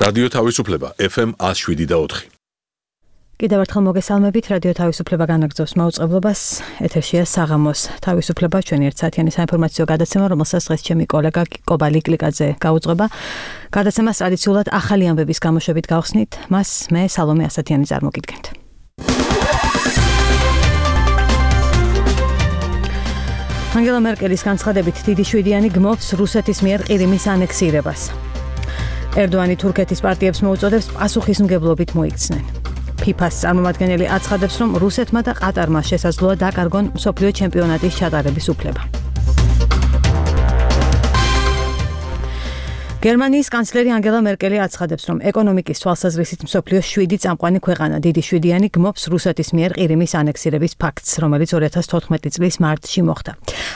რადიო თავისუფლება FM 107.4. კიდევ ერთხელ მოგესალმებით, რადიო თავისუფლება განაგრძობს მაუწყებლობას. ეთერშია საღამოს თავისუფლება, ჩვენი ერთსაათიანი საინფორმაციო გადაცემა, რომელსაც დღეს ჩემი კოლეგა კობა ლიკლიკაძე გაუძღვება. გადაცემას ტრადიციულად ახალი ამბების გამოშვებით გავხსნით, მას მე სალომე ასათიანი წარმოგიდგენთ. ანგელა მერკელის განცხადებით დიდი შვიდიანი გმობს რუსეთის მიერ ყირიმის ანექსირებას. ერდოანი თურქეთის პარტიებს მოუწოდებს პასუხისმგებლობით მოიქცნენ. ფიფას წარმომადგენელი აცხადებს, რომ რუსეთმა და ყატარმა შესაძლოა დაკარგონ მსოფლიო ჩემპიონატის ჩატარების უფლება. გერმანიის კანცლერი ანგელა მერკელი აცხადებს, რომ ეკონომიკის თვალსაზრისით მსოფლიოს 7 წამყვანი ქვეყანა დიდი შვიდიანი გმობს რუსეთის მიერ ყირიმის ანექსირების ფაქტს, რომელიც 2014 წლის მარტში მოხდა.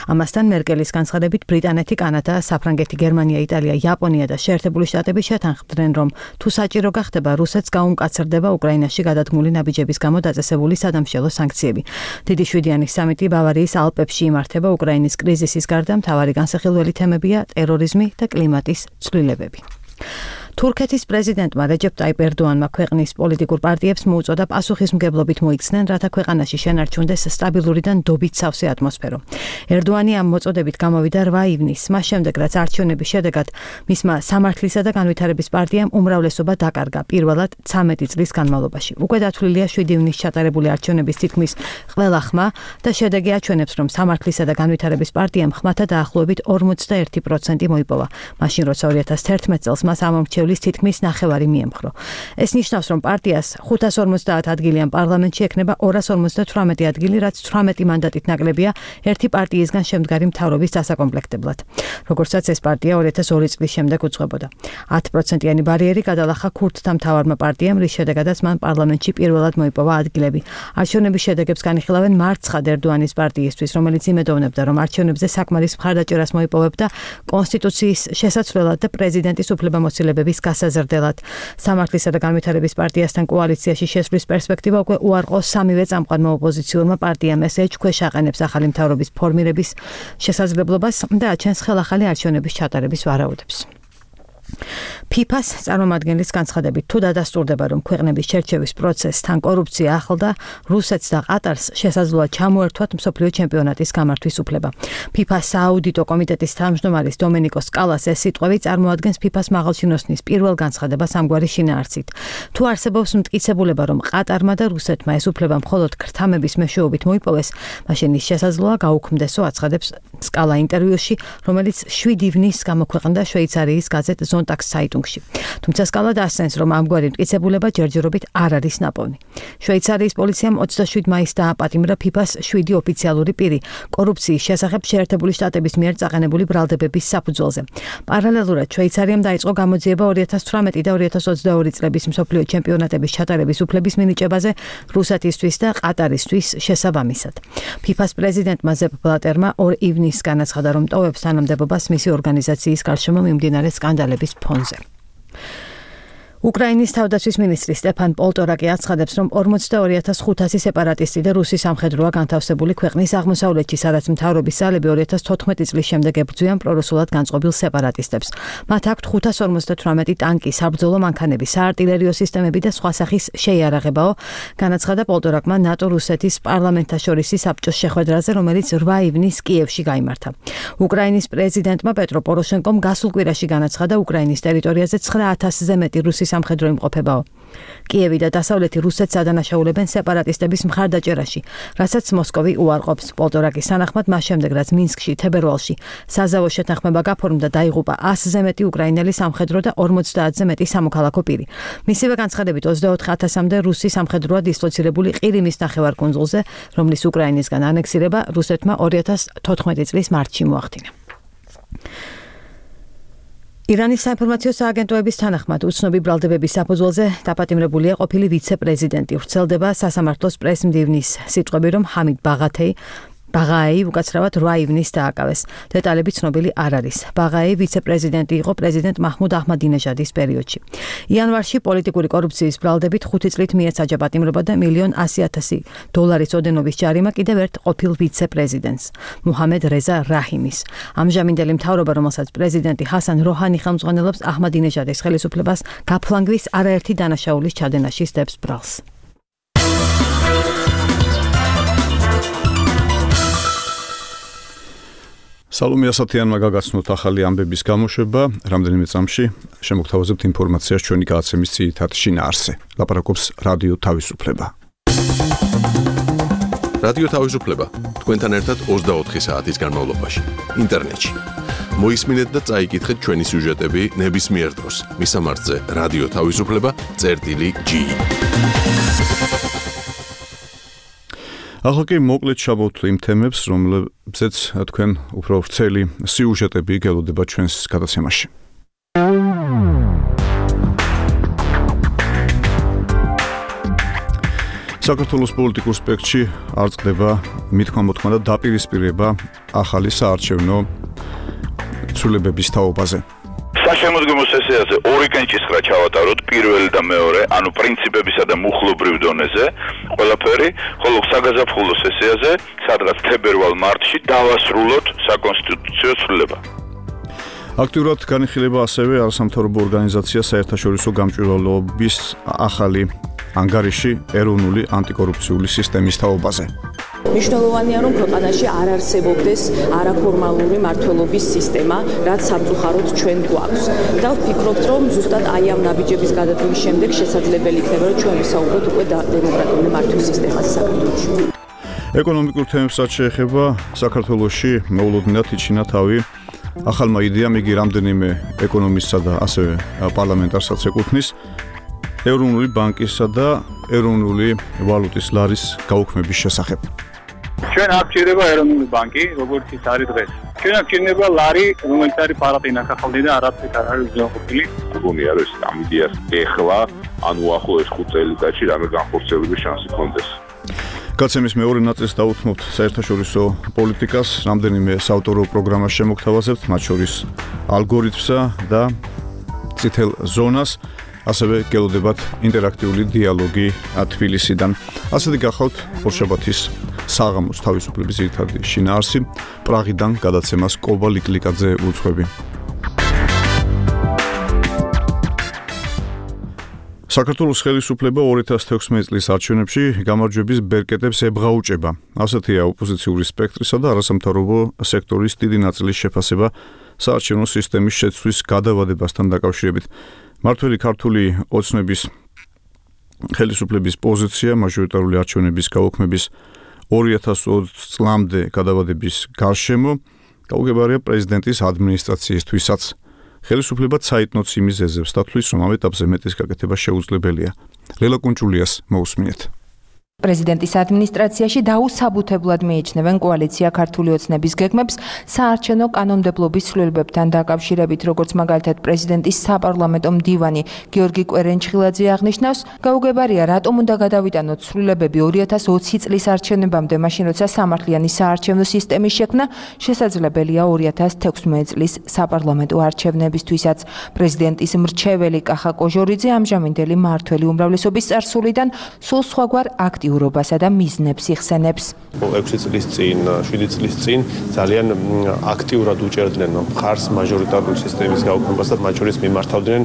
ამასთან მერკელის განცხადებით ბრიტანეთი, კანადა, საფრანგეთი, გერმანია, იტალია, იაპონია და შეერთებული შტატები შეთანხმდნენ, რომ თუ საჭირო გახდება, რუსეთს გაუმკაცრდება უკრაინაში გადადგმული ნაბიჯების გამო დაწესებული სადამშელო სანქციები. დიდი შვიდიანის სამიტი ბავარიის ალპებში იმართება. უკრაინის კრიზისის გარდა მთავარი განსახილველი თემებია ტერორიზმი და კლიმატის ცვლილებები. თურქეთის პრეზიდენტმა რეჯეპ ტაიპ ერდოანმა ქვეყნის პოლიტიკურ პარტიებს მოუწოდა პასუხისმგებლობით მოიქცნენ, რათა ქვეყანაში შენარჩუნდეს სტაბილური და ნდობით სავსე ატმოსფერო. ერდოანი ამ მოწოდებით გამოვიდა 8 ივნისს, მას შემდეგ რაც არჩევნების შედეგად მისმა სამართლისა და განვითარების პარტიამ უმრავლესობა დაკარგა პირველად 13 წლის განმავლობაში. უკვე დათვლილია 7 ივნისს ჩატარებული არჩევნების თითქმის ყველა ხმა და შედეგი აჩვენებს, რომ სამართლისა და განვითარების პარტიამ ხმათა დაახლოებით 41% მოიპოვა, მაშინ როცა 2011 წელს მას ამომრჩევლის თითქმის ნახევარი მიემხრო. ეს ნიშნავს, რომ პარტიას 550 ადგილიან პარლამენტში ექნება 258 ადგილი, რაც 18 მანდატით ნაკლებია ერთი პარტიისგან შემდგარი მთავრობის დასაკომპლექტებლად. როგორცაც ეს პარტია 2002 წლის შემდეგ უძღვებოდა. 10%-იანი ბარიერი გადალახა ქურთთა მთავარმა პარტიამ, რის შედეგადაც მან პარლამენტში პირველად მოიპოვა ადგილები. არჩევნების შედეგებს განიხილავენ მარცხად ერდოანის პარტიისთვის, რომელიც იმედოვნებდა, რომ არჩევნებზე საკმარის მხარდაჭერას მოიპოვებდა კონსტიტუციის შესაცვლელად და პრეზიდენტის უფლებამოსილებების გასაზრდელად. სამართლისა და განვითარების პარტიასთან კოალიციაში შესვლის პერსპექტივა უკვე უარყო სამივე წამყვანმა ოპოზიციურმა პარტიამ, ეს ეჭქვეშ აყენებს ახალი მთავრობის ფორმირების შესაძლებლობას და აჩენს ხელახალი არჩევნების ჩატარების ვარაუდებს. ფიფას წარმომადგენლის განცხადებით, თუ დადასტურდება, რომ ქვეყნების შერჩევის პროცესთან კორუფცია ახლდა, რუსეთს და ყატარს შესაძლოა ჩამოერთვათ მსოფლიო ჩემპიონატის გამართვის უფლება. ფიფას სააუდიტო კომიტეტის თავმჯდომარის დომენიკო სკალას ეს სიტყვები წარმოადგენს ფიფას მაღალჩინოსნის პირველ განცხადებას ამგვარი შინაარსით. თუ არსებობს მტკიცებულება, რომ ყატარმა და რუსეთმა ეს უფლება მხოლოდ ქრთამების მეშვეობით მოიპოვეს, მაშინ ის შესაძლოა გაუქმდესო, აცხადებს სკალა ინტერვიუში, რომელიც 7 ივნისს გამოქვეყნდა შვეიცარიის გაზეთ ზონტაგს საიტუნგში. თუმცა სკალა დასცენს, რომ ამგვარი მტკიცებულება ჯერჯერობით არ არის ნაპოვნი. შვეიცარიის პოლიციამ 27 მაისს დააპატიმრა ფიფას 7 ოფიციალური პირი კორუფციის შესახებ შეერთებული შტატების მიერ წაყენებული ბრალდებების საფუძველზე. პარალელურად შვეიცარიამ დაიწყო გამოძიება 2018 და 2022 წლების მსოფლიო ჩემპიონატების ჩატარების უფლების მინიჭებაზე რუსეთისთვის და ყატარისთვის შესაბამისად. ფიფას პრეზიდენტმა ზეპ ბლატერმა 2 ივნისს განაცხადა, რომ ტოვებს თანამდებობას მისი ორგანიზაციის გარშემო მიმდინარე სკანდალების ფონზე. უკრაინის თავდაცვის მინისტრი სტეფან პოლტორაკი აცხადებს, რომ 42500 სეპარატისტი და რუსი სამხედროა განთავსებული ქვეყნის აღმოსავლეთში, სადაც მთავრობის ძალები 2014 წლის შემდეგ ებრძვიან პრორუსულად განწყობილ სეპარატისტებს. მათ აქვთ 558 ტანკი, საბრძოლო მანქანები, საარტილერიო სისტემები და სხვა სახის შეიარაღებაო, განაცხადა პოლტორაკმა ნატო-რუსეთის პარლამენტაშორისი საბჭოს შეხვედრაზე, რომელიც 8 ივნისს კიევში გაიმართა. უკრაინის პრეზიდენტმა პეტრო პოროშენკომ გასულ კვირაში განაცხადა უკრაინის ტერიტორიაზე 9000-ზე მეტი რუსი სამხედრო იმყოფებაო. კიევი და დასავლეთი რუსეთს ადანაშაულებენ სეპარატისტების მხარდაჭერაში, რასაც მოსკოვი უარყოფს. პოლტორაკის თანახმად, მას შემდეგ, რაც მინსკში, თებერვალში საზავო შეთანხმება გაფორმდა, დაიღუპა 100-ზე მეტი უკრაინელი სამხედრო და 50-ზე მეტი სამოქალაქო პირი. მისივე განცხადებით 24000-მდე რუსი სამხედროა დისლოცირებული ყირიმის ნახევარკუნძულზე, რომლის უკრაინისგან ანექსირება რუსეთმა 2014 წლის მარტში მოახდინა. ირანის საინფორმაციო სააგენტოების თანახმად უცნობი ბრალდებების საფუძველზე დაპატიმრებულია ყოფილი ვიცე-პრეზიდენტი. ვრცელდება სასამართლოს პრეს-მდივნის სიტყვები, რომ ჰამიდ ბაღათეი ბაღაეი უკაცრავად 8 ივნის დააკავეს. დეტალები ცნობილი არ არის. ბაღაეი ვიცე-პრეზიდენტი იყო პრეზიდენტ მაჰმუდ აჰმადინეჟადის პერიოდში. იანვარში პოლიტიკური კორუფციის ბრალდებით 5 წლით მიეცაჯა პატიმრობა და $1,100,000 ოდენობის ჯარიმა კიდევ ერთ ყოფილ ვიცე-პრეზიდენტს, მუჰამედ რეზა რაჰიმის. ამჟამინდელი მთავრობა, რომელსაც პრეზიდენტი ჰასან როჰანი ხელმძღვანელობს, აჰმადინეჟადის ხელისუფლებას გაფლანგვის არაერთი დანაშაულის ჩადენაში სდებს ბრალს. სალომე ასათიანმა გაგაცნოთ ახალი ამბების გამოშვება, რამდენიმე წამში შემოგთავაზებთ ინფორმაციას ჩვენი გადაცემის ძირითად შინაარსზე. ლაპარაკობს რადიო თავისუფლება. რადიო თავისუფლება თქვენთან ერთად 24 საათის განმავლობაში ინტერნეტში. მოისმინეთ და წაიკითხეთ ჩვენი სიუჟეტები ნებისმიერ დროს. მისამართზე რადიო თავისუფლება.g. ახლა კი მოკლედ ჩავთ იმ თემებს, რომლებზეც თქვენ უფრო ვრცელი სიუჟეტები გელოდება ჩვენს გადაცემაში. საქართველოს პოლიტიკურ სპექტრში არ წყდება მithქმა-მოთქმა და დაპირისპირება ახალი საარჩევნო ცვლილებების თაობაზე. საშემოდგომო სესიაზე ორი კენჭისყრა ჩავატაროთ, პირველი და მეორე, ანუ პრინციპებისა და მუხლობრივ დონეზე, ყველაფერი, ხოლო საგაზაფხულო სესიაზე, სადღაც თებერვალ-მარტში დავასრულოთ საკონსტიტუციო ცვლილება. აქტიურად განიხილება ასევე არასამთავრობო ორგანიზაცია საერთაშორისო გამჭვირვალობის ახალი ანგარიში ეროვნული ანტიკორუფციული სისტემის თაობაზე. მნიშვნელოვანია, რომ ქვეყანაში არ არსებობდეს არაფორმალური მმართველობის სისტემა, რაც სამწუხაროდ ჩვენ გვაქვს. და ვფიქრობთ, რომ ზუსტად აი ამ ნაბიჯების გადადგმის შემდეგ შესაძლებელი იქნება, რომ ჩვენ ვისაუბროთ უკვე დემოკრატიული მართვის სისტემაზე საქართველოში. ეკონომიკურ თემებსაც შეეხება საქართველოში მოულოდნელად იჩინა თავი ახალმა იდეამ, იგი რამდენიმე ეკონომისტსა და ასევე პარლამენტარსაც ეკუთვნის ეროვნული ბანკისა და ეროვნული ვალუტის ლარის გაუქმების შესახებ. ჩვენ არ გვჭირდება ეროვნული ბანკი, როგორც ის არის დღეს. ჩვენ არ გვჭირდება ლარი, რომელიც არის პარატინა სახალხი და არაფერი არ არის უზრუნველყოფილი. მგონია, რომ ამ იდეას ეხლა, ანუ ახლოს 5 წელიწადში რამე განხორციელების შანსი ქონდეს. გადაცემის მეორე ნაწილს დავუთმობთ საერთაშორისო პოლიტიკას, რამდენიმე საავტორო პროგრამას შემოგთავაზებთ, მათ შორის ალგორითმსა და წითელ ზონას. ასევე გელოდებათ ინტერაქტიული დიალოგი თბილისიდან. ასეთი გახავთ ორშაბათის საღამოს თავისუფლების ძირითადი შინაარსი. პრაღიდან გადაცემას კობა ლიკლიკაძე უძღვები. საქართველოს ხელისუფლება 2016 წლის არჩევნებში გამარჯვების ბერკეტებს ებღაუჭება. ასეთია ოპოზიციური სპექტრისა და არასამთავრობო სექტორის დიდი ნაწილის შეფასება საარჩევნო სისტემის შეცვლის გადავადებასთან დაკავშირებით. მართველი ქართული ოცნების ხელისუფლების პოზიცია მაჟორიტარული არჩევნების გაუქმების 2020 წლამდე გადავადების გარშემო გაუგებარია პრეზიდენტის ადმინისტრაციისთვისაც. ხელისუფლება ცაიტნოც იმის ეზებს დათვლის, რომ ამ ეტაპზე მეტის გაკეთება შეუძლებელია. ლელა კუნჭულიას მოусმინეთ. პრეზიდენტის ადმინისტრაციაში დაუსაბუთებლად მიიჩნევენ კოალიცია ქართული ოცნების გეგმებს საარჩევნო კანონმდებლობის ცვლილებებთან დაკავშირებით, როგორც მაგალითად პრეზიდენტის საპარლამენტო მდივანი გიორგი კვერენჩხილაძე აღნიშნავს, გაუგებარია, რატომ უნდა გადავიტანოთ ცვლილებები 2020 წლის არჩევნებამდე, მაშინ როცა სამართლიანი საარჩევნო სისტემის შექმნა შესაძლებელია 2016 წლის საპარლამენტო არჩევნებისთვისაც. პრეზიდენტის მრჩეველი კახა კოჟორიძე ამჟამინდელი მმართველი უმრავლესობის წარსულიდან სულ სხვაგვარ აქტიურობასა და მიზნებს იხსენებს. 6 წლის წინ, 7 წლის წინ ძალიან აქტიურად უჭერდნენ მხარს მაჟორიტარული სისტემის გაუქმებას და მათ შორის მიმართავდნენ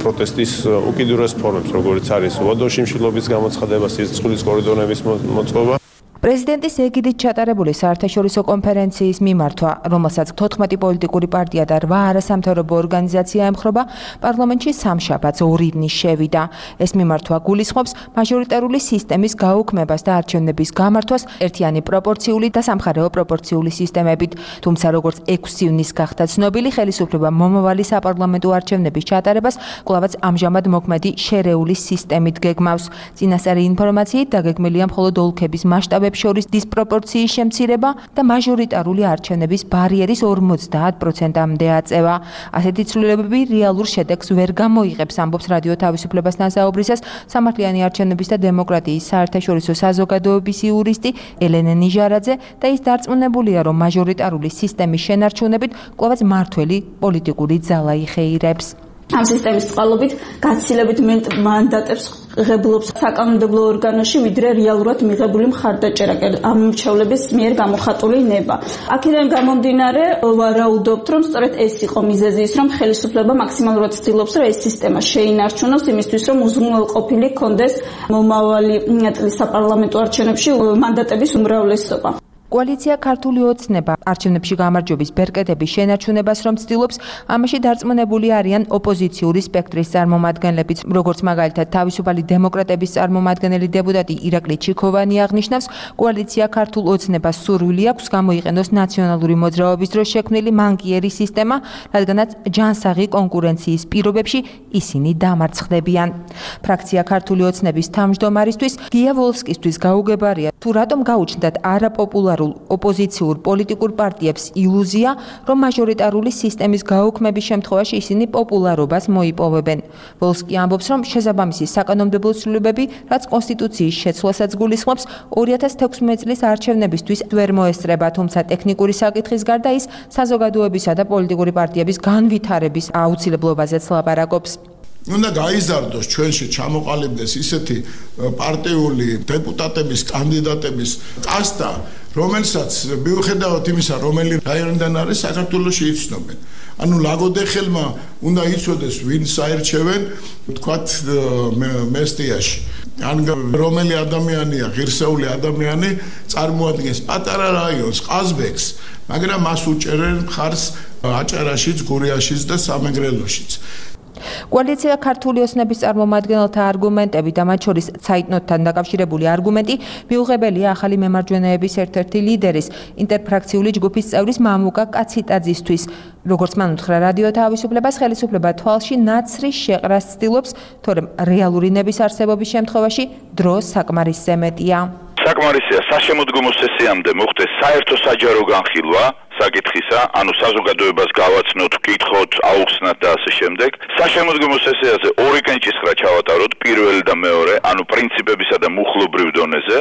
პროტესტის უკიდურეს ფორმებს, როგორც არის უდოში მშვილობის გამოცხადება, სისხლის კორიდორების მოწყობა. პრეზიდენტის ეგიდით ჩატარებული საერთაშორისო კონფერენციის მიმართვა, რომელსაც 14 პოლიტიკური პარტია და 8 არასამთავრობო ორგანიზაცია ემხრობა, პარლამენტში სამშაბათს 2 ივნის შევიდა. ეს მიმართვა გულისხმობს მაჟორიტარული სისტემის გაუქმებას და არჩევნების გამართვას ერთიანი პროპორციული და სამხარეო პროპორციული სისტემებით. თუმცა როგორც 6 ივნის გახდა ცნობილი, ხელისუფლება მომავალი საპარლამენტო არჩევნების ჩატარებას კვლავაც ამჟამად მოქმედი შერეული სისტემით გეგმავს. წინასწარი ინფორმაციით დაგეგმილია მხოლოდ ოლქების მასშტაბებში კანდიდატებს შორის დისპროპორციის შემცირება და მაჟორიტარული არჩევნების ბარიერის 50%-მდე აწევა. ასეთი ცვლილებები რეალურ შედეგს ვერ გამოიღებს, ამბობს რადიო თავისუფლებას ნაზაობრისას სამართლიანი არჩევნების და დემოკრატიის საერთაშორისო საზოგადოების იურისტი ელენე ნიჟარაძე და ის დარწმუნებულია, რომ მაჟორიტარული სისტემის შენარჩუნებით კვლავაც მმართველი პოლიტიკური ძალა იხეირებს. ამ სისტემის წყალობით გაცილებით მანდატებს ღებულობს საკანონმდებლო ორგანოში, ვიდრე რეალურად მიღებული მხარდაჭერა ამ მრჩევლების მიერ გამოხატული ნება. აქედან გამომდინარე, ვარაუდობთ, რომ სწორედ ეს იყო მიზეზი ის, რომ ხელისუფლება მაქსიმალურად ცდილობს, რომ ეს სისტემა შეინარჩუნოს იმისთვის, რომ უზრუნველყოფილი ჰქონდეს მომავალი წლის საპარლამენტო არჩევნებში მანდატების უმრავლესობა. კოალიცია ქართული ოცნება არჩევნებში გამარჯვების ბერკეტების შენარჩუნებას რომ ცდილობს, ამაში დარწმუნებული არიან ოპოზიციური სპექტრის წარმომადგენლებიც, როგორც მაგალითად თავისუფალი დემოკრატების წარმომადგენელი დეპუტატი ირაკლი ჩიქოვანი აღნიშნავს, კოალიცია ქართულ ოცნებას სურვილი აქვს გამოიყენოს ნაციონალური მოძრაობის დროს შექმნილი მანკიერი სისტემა, რადგანაც ჯანსაღი კონკურენციის პირობებში ისინი დამარცხდებიან. ფრაქცია ქართული ოცნების თავმჯდომარისთვის გია ვოლსკისთვის გაუგებარია, თუ რატომ გაუჩნდათ არაპოპულარულ ოპოზიციურ პოლიტიკურ პარტიებს ილუზია, რომ მაჟორიტარული სისტემის გაუქმების შემთხვევაში ისინი პოპულარობას მოიპოვებენ. ვოლსკი ამბობს, რომ შესაბამისი საკანონმდებლო ცვლილებები, რაც კონსტიტუციის შეცვლასაც გულისხმობს, 2016 წლის არჩევნებისთვის ვერ მოესწრება, თუმცა ტექნიკური საკითხის გარდა ის საზოგადოებისა და პოლიტიკური პარტიების განვითარების აუცილებლობაზეც ლაპარაკობს. უნდა გაიზარდოს ჩვენში ჩამოყალიბდეს ისეთი პარტიული დეპუტატების კანდიდატების კასტა, რომელსაც მიუხედავად იმისა, რომელი რაიონიდან არის, საქართველოში იცნობენ. ანუ ლაგოდეხელმა უნდა იცოდეს, ვინ საერჩევენ, თქვათ მესტიაში. ან რომელი ადამიანია, ღირსეული ადამიანი წარმოადგენს პატარა რაიონს, ყაზბეგს, მაგრამ მას უჭერენ მხარს აჭარაშიც, გურიაშიც და სამეგრელოშიც. კოალიცია ქართული ოცნების წარმომადგენელთა არგუმენტები და მათ შორის ცაიტნოტთან დაკავშირებული არგუმენტი მიუღებელია ახალი მემარჯვენეების ერთ-ერთი ლიდერის, ინტერფრაქციული ჯგუფის წევრის მამუკა კაციტაძისთვის. როგორც მან უთხრა რადიო თავისუფლებას, ხელისუფლება თვალში ნაცრის შეყრას ცდილობს, თორემ რეალური ნების არსებობის შემთხვევაში დრო საკმარისზე მეტია. საკმარისია საშემოდგომო სესიამდე მოხდეს საერთო საჯარო განხილვა საკითხისა, ანუ საზოგადოებას გავაცნოთ, ვკითხოთ, აუხსნათ და ასე შემდეგ. საშემოდგომო სესიაზე ორი კენჭისყრა ჩავატაროთ, პირველი და მეორე, ანუ პრინციპებისა და მუხლობრივ დონეზე,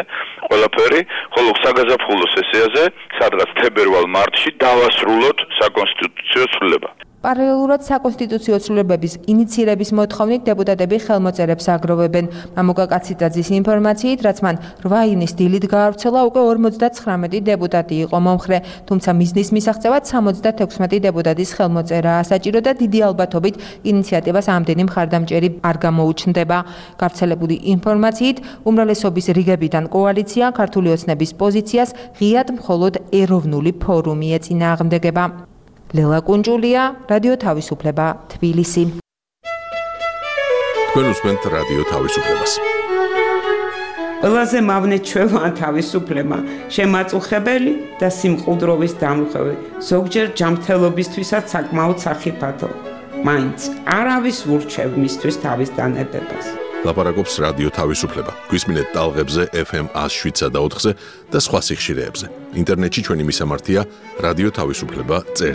ყველაფერი, ხოლო საგაზაფხულო სესიაზე, სადღაც თებერვალ-მარტში დავასრულოთ საკონსტიტუციო ცვლილება. პარალელურად საკონსტიტუციო ცვლილებების ინიცირების მოთხოვნით დეპუტატები ხელმოწერებს აგროვებენ. მამუკა კაციტაძის ინფორმაციით, რაც მან 8 ივნის დილით გაავრცელა, უკვე 59 დეპუტატი იყო მომხრე, თუმცა მიზნის მისაღწევად 76 დეპუტატის ხელმოწერაა საჭირო და დიდი ალბათობით ინიციატივას ამდენი მხარდამჭერი არ გამოუჩნდება. გავრცელებული ინფორმაციით, უმრავლესობის რიგებიდან კოალიცია ქართული ოცნების პოზიციას ღიად მხოლოდ ეროვნული ფორუმი ეწინააღმდეგება. ლელა კუნჯულია, რადიო თავისუფლება, თბილისი. თქვენ უსმენთ რადიო თავისუფლებას. ყველაზე მავნე ჩვევა თავისუფლება, შემაწუხებელი და სიმყუდროვის დამხევი, ზოგჯერ ჯანმრთელობისთვისაც საკმაოდ სახიფათო. მაინც არავის ურჩევ მისთვის თავის დანებებას. ლაპარაკობს რადიო თავისუფლება. გვისმინეთ ტალღებზე FM 107.4-ზე და სხვა სიხშირეებზე. ინტერნეტში ჩვენი მისამართია რადიო თავისუფლება.ge.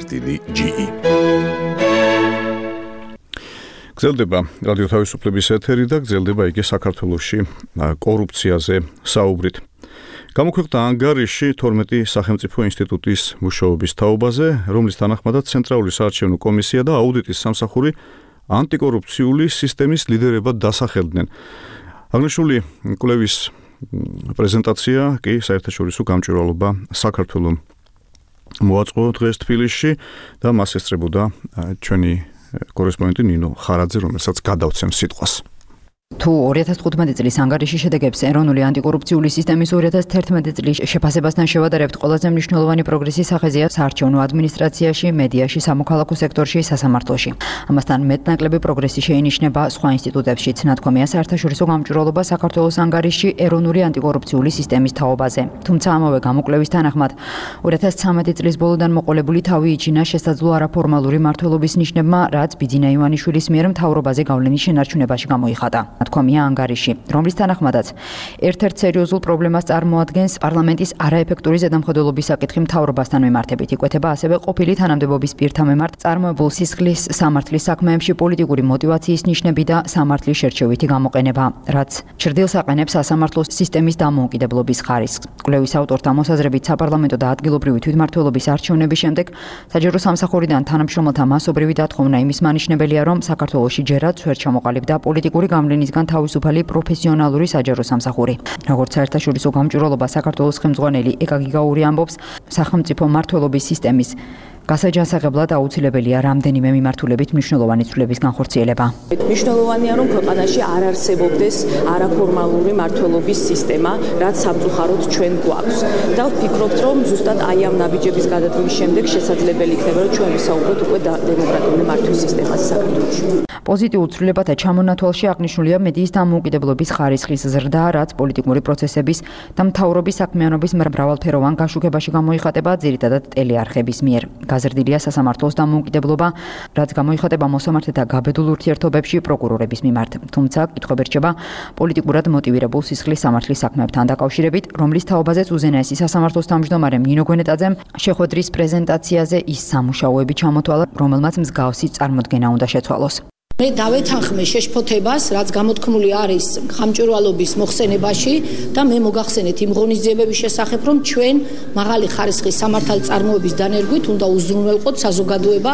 გრძელდება რადიო თავისუფლების ეთერი და გრძელდება იგი საქართველოში კორუფციაზე საუბრით. გამოქვეყნდა ანგარიში 12 სახელმწიფო ინსტიტუტის მუშაობის თაობაზე, რომლის თანახმადაც ცენტრალური საარჩევნო კომისია და აუდიტის სამსახური ანტიკორუფციული სისტემის ლიდერებად დასახელდნენ. აღნიშნული კვლევის პრეზენტაცია კი საერთაშორისო გამჭვირვალობა საქართველოს მოაწყო დღეს თბილისში და მას ესწრებოდა ჩვენი კორესპონდენტი ნინო ხარაძე, რომელსაც გადავცემ სიტყვას. თუ 2015 წლის ანგარიშის შედეგებს ეროვნული ანტიკორუფციული სისტემის 2011 წლის შეფასებასთან შევადარებთ, ყველაზე მნიშვნელოვანი პროგრესის სახეზეა საარჩევნო ადმინისტრაციაში, მედიაში, სამოქალაქო სექტორში, სასამართლოში. ამასთან მეტნაკლები პროგრესი შეინიშნება სხვა ინსტიტუტებშიც. ნათქვამია საერთაშორისო გამჭვირვალობა საქართველოს ანგარიშში ეროვნული ანტიკორუფციული სისტემის თაობაზე. თუმცა ამავე გამოკვლევის თანახმად 2013 წლის ბოლოდან მოყოლებული თავი იჩინა შესაძლო არაფორმალური მმართველობის ნიშნებმა, რაც ბიძინა ივანიშვილის მიერ მთავრობაზე გავლენის შენარჩუნებაში გამოიხატა. თქვამია ანგარიში, რომლის თანახმადაც ერთ-ერთ სერიოზულ პრობლემას წარმოადგენს პარლამენტის არაეფექტური ზედამხედველობის საკითხი მთავრობასთან მიმართებით. იკვეთება ასევე ყოფილი თანამდებობის პირთა მიმართ წარმოებულ სისხლის სამართლის საქმეებში პოლიტიკური мотиваციის ნიშნები და სამართლის შერჩევითი გამოყენება, რაც ჩრდილს აყენებს სასამართლო სისტემის დამოუკიდებლობის ხარისხს. კვლევის ავტორთა მოსაზრებით საპარლამენტო და ადგილობრივი თვითმმართველობის არჩევნების შემდეგ საჯარო სამსახურიდან თანამშრომელთა მასობრივი დათხოვნა იმის მანიშნებელია, რომ საქართველოში ჯერაც ვერ ჩამოყალიბდა პოლიტიკური გავლენისგან თავისუფალი პროფესიონალური საჯარო სამსახური. როგორც საერთაშორისო გამჭვირვალობა საქართველოს ხელმძღვანელი ეკა გიგაური ამბობს, სახელმწიფო მმართველობის სისტემის გასაჯანსაღებლად აუცილებელია რამდენიმე მიმართულებით მნიშვნელოვანი ცვლილების განხორციელება. მნიშვნელოვანია, რომ ქვეყანაში არ არსებობდეს არაფორმალური მმართველობის სისტემა, რაც სამწუხაროდ ჩვენ გვაქვს. და ვფიქრობთ, რომ ზუსტად აი ამ ნაბიჯების გადადგმის შემდეგ შესაძლებელი იქნება, რომ ჩვენ ვისაუბროთ უკვე დემოკრატიული მართვის სისტემაზე საქართველოში. პოზიტიურ ცვლილებათა ჩამონათვალში აღნიშნულია მედიის დამოუკიდებლობის ხარისხის ზრდა, რაც პოლიტიკური პროცესების და მთავრობის საქმიანობის მრავალფეროვან გაშუქებაში გამოიხატება ძირითადად ტელეარხების მიერ. გაზრდილია სასამართლოს დამოუკიდებლობა, რაც გამოიხატება მოსამართლეთა გაბედულ ურთიერთობებში პროკურორების მიმართ. თუმცა კითხვები რჩება პოლიტიკურად მოტივირებულ სისხლის სამართლის საქმეებთან დაკავშირებით, რომლის თაობაზეც უზენაესი სასამართლოს თავმჯდომარემ ნინო გვენეტაძემ შეხვედრის პრეზენტაციაზე ის სამუშაოები ჩამოთვალა, რომელმაც მსგავსი წარმოდგენა უნდა შეცვალოს. მე დავეთანხმე შეშფოთებას, რაც გამოთქმული არის ხამჭვირვალობის მოხსენებაში და მე მოგახსენეთ იმ ღონისძიებების შესახებ, რომ ჩვენ მაღალი ხარისხის სამართალწარმოების დანერგვით უნდა უზრუნველყოთ საზოგადოება,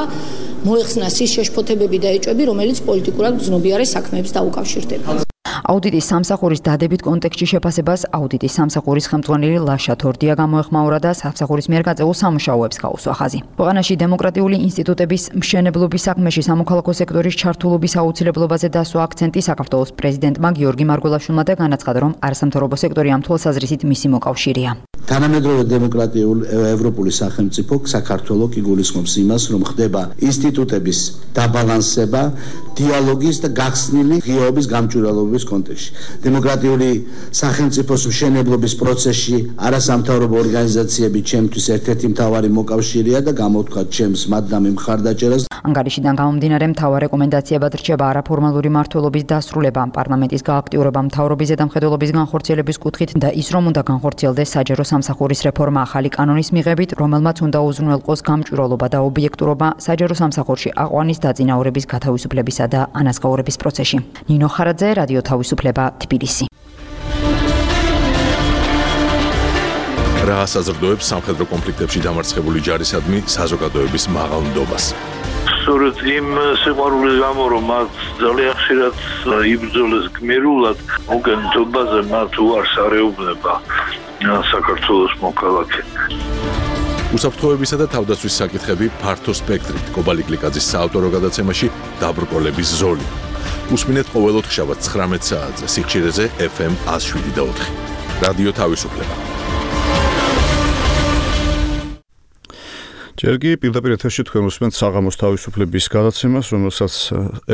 მოეხსნას ის შეშფოთებები და ეჭვები, რომელიც პოლიტიკურად გრძნობიარე საქმეებს დაუკავშირდება. აუდიტის სამსახურის დადებით კონტექსტში შეფასებას აუდიტის სამსახურის ხელმძღვანელი ლაშა თორდია გამოეხმაურა და სამსახურის მიერ გაწეულ სამუშაოებს გაუსვა ხაზი. ქვეყანაში დემოკრატიული ინსტიტუტების მშენებლობის საქმეში სამოქალაქო სექტორის ჩართულობის აუცილებლობაზე დასვა აქცენტი საქართველოს პრეზიდენტმა გიორგი მარგველაშვილმა და განაცხადა, რომ არასამთავრობო სექტორი ამ თვალსაზრისით მისი მოკავშირეა. თანამედროვე დემოკრატიული ევროპული სახელმწიფო საქართველო კი გულისხმობს იმას, რომ ხდება ინსტიტუტების დაბალანსება, დიალოგის და გახსნილი ღიაობის გამჭვირვალობის კონტექსტში. დემოკრატიული სახელმწიფოს მშენებლობის პროცესში არასამთავრობო ორგანიზაციები ჩემთვის ერთ-ერთი მთავარი მოკავშირეა და გამოვთქვათ ჩემს მადლამი მხარდაჭერას. ანგარიშიდან გამომდინარე მთავარ რეკომენდაციებად რჩება არაფორმალური მმართველობის დასრულება, პარლამენტის გააქტიურება მთავრობის ზედამხედველობის განხორციელების კუთხით და ის, რომ უნდა განხორციელდეს საჯარო სამსახურის რეფორმა ახალი კანონის მიღებით, რომელმაც უნდა უზრუნველყოს გამჭვირვალობა და ობიექტურობა საჯარო სამსახურში აყვანის დაწინაურების გათავისუფლებისა და ანაზღაურების პროცესში. ნინო ხარაძე, რადიო თავისუფლება, თბილისი. რა საზრდოებს სამხედრო კონფლიქტებში დამარცხებული ჯარისადმი საზოგადოების მაღალნდობას. სწორედ იმ სიყვარულის გამო, რომ მათ ძალიან ხშირად იბრძოლეს გმირულად, მოგენთობაზე მათ უარს არეუბნება საქართველოს მოქალაქე. უსაფრთხოებისა და თავდაცვის საკითხები ფართო სპექტრით. კობალი გლიკაძის საავტორო გადაცემაში დაბრკოლების ზოლი. უსმინეთ ყოველ ოთხშაბათს 19 საათზე სიხშირეზე FM 107.4. რადიო თავისუფლება. ჯერ კი პირდაპირ ეთერში თქვენ უსმენთ საღამოს თავისუფლების გადაცემას, რომელსაც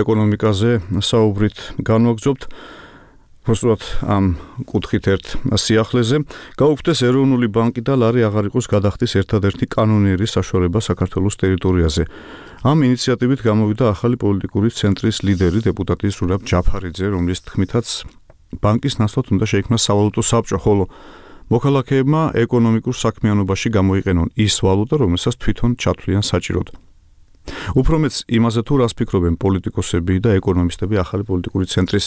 ეკონომიკაზე საუბრით განვაგრძობთ. Προσωπად ამ კუთხით ერთ სიახლეზე გაუქმდეს ეროვნული ბანკი და ლარი აღარ იყოს გადახდის ერთადერთი კანონიერი საშუალება საქართველოს ტერიტორიაზე. ამ ინიციატივით გამოვიდა ახალი პოლიტიკური ცენტრის ლიდერი დეპუტატი ზურაბ ჯაფარიძე, რომლის თქმითაც ბანკის ნაცვლად უნდა შეიქმნას სავალუტო საბჭო, ხოლო მოქალაქეებმა ეკონომიკურ საქმიანობაში გამოიყენონ ის ვალუტა, რომელსაც თვითონ ჩათვლიან საჭიროდ. უფრო მეც იმაზე თუ რას ფიქრობენ პოლიტიკოსები და ეკონომისტები ახალი პოლიტიკური ცენტრის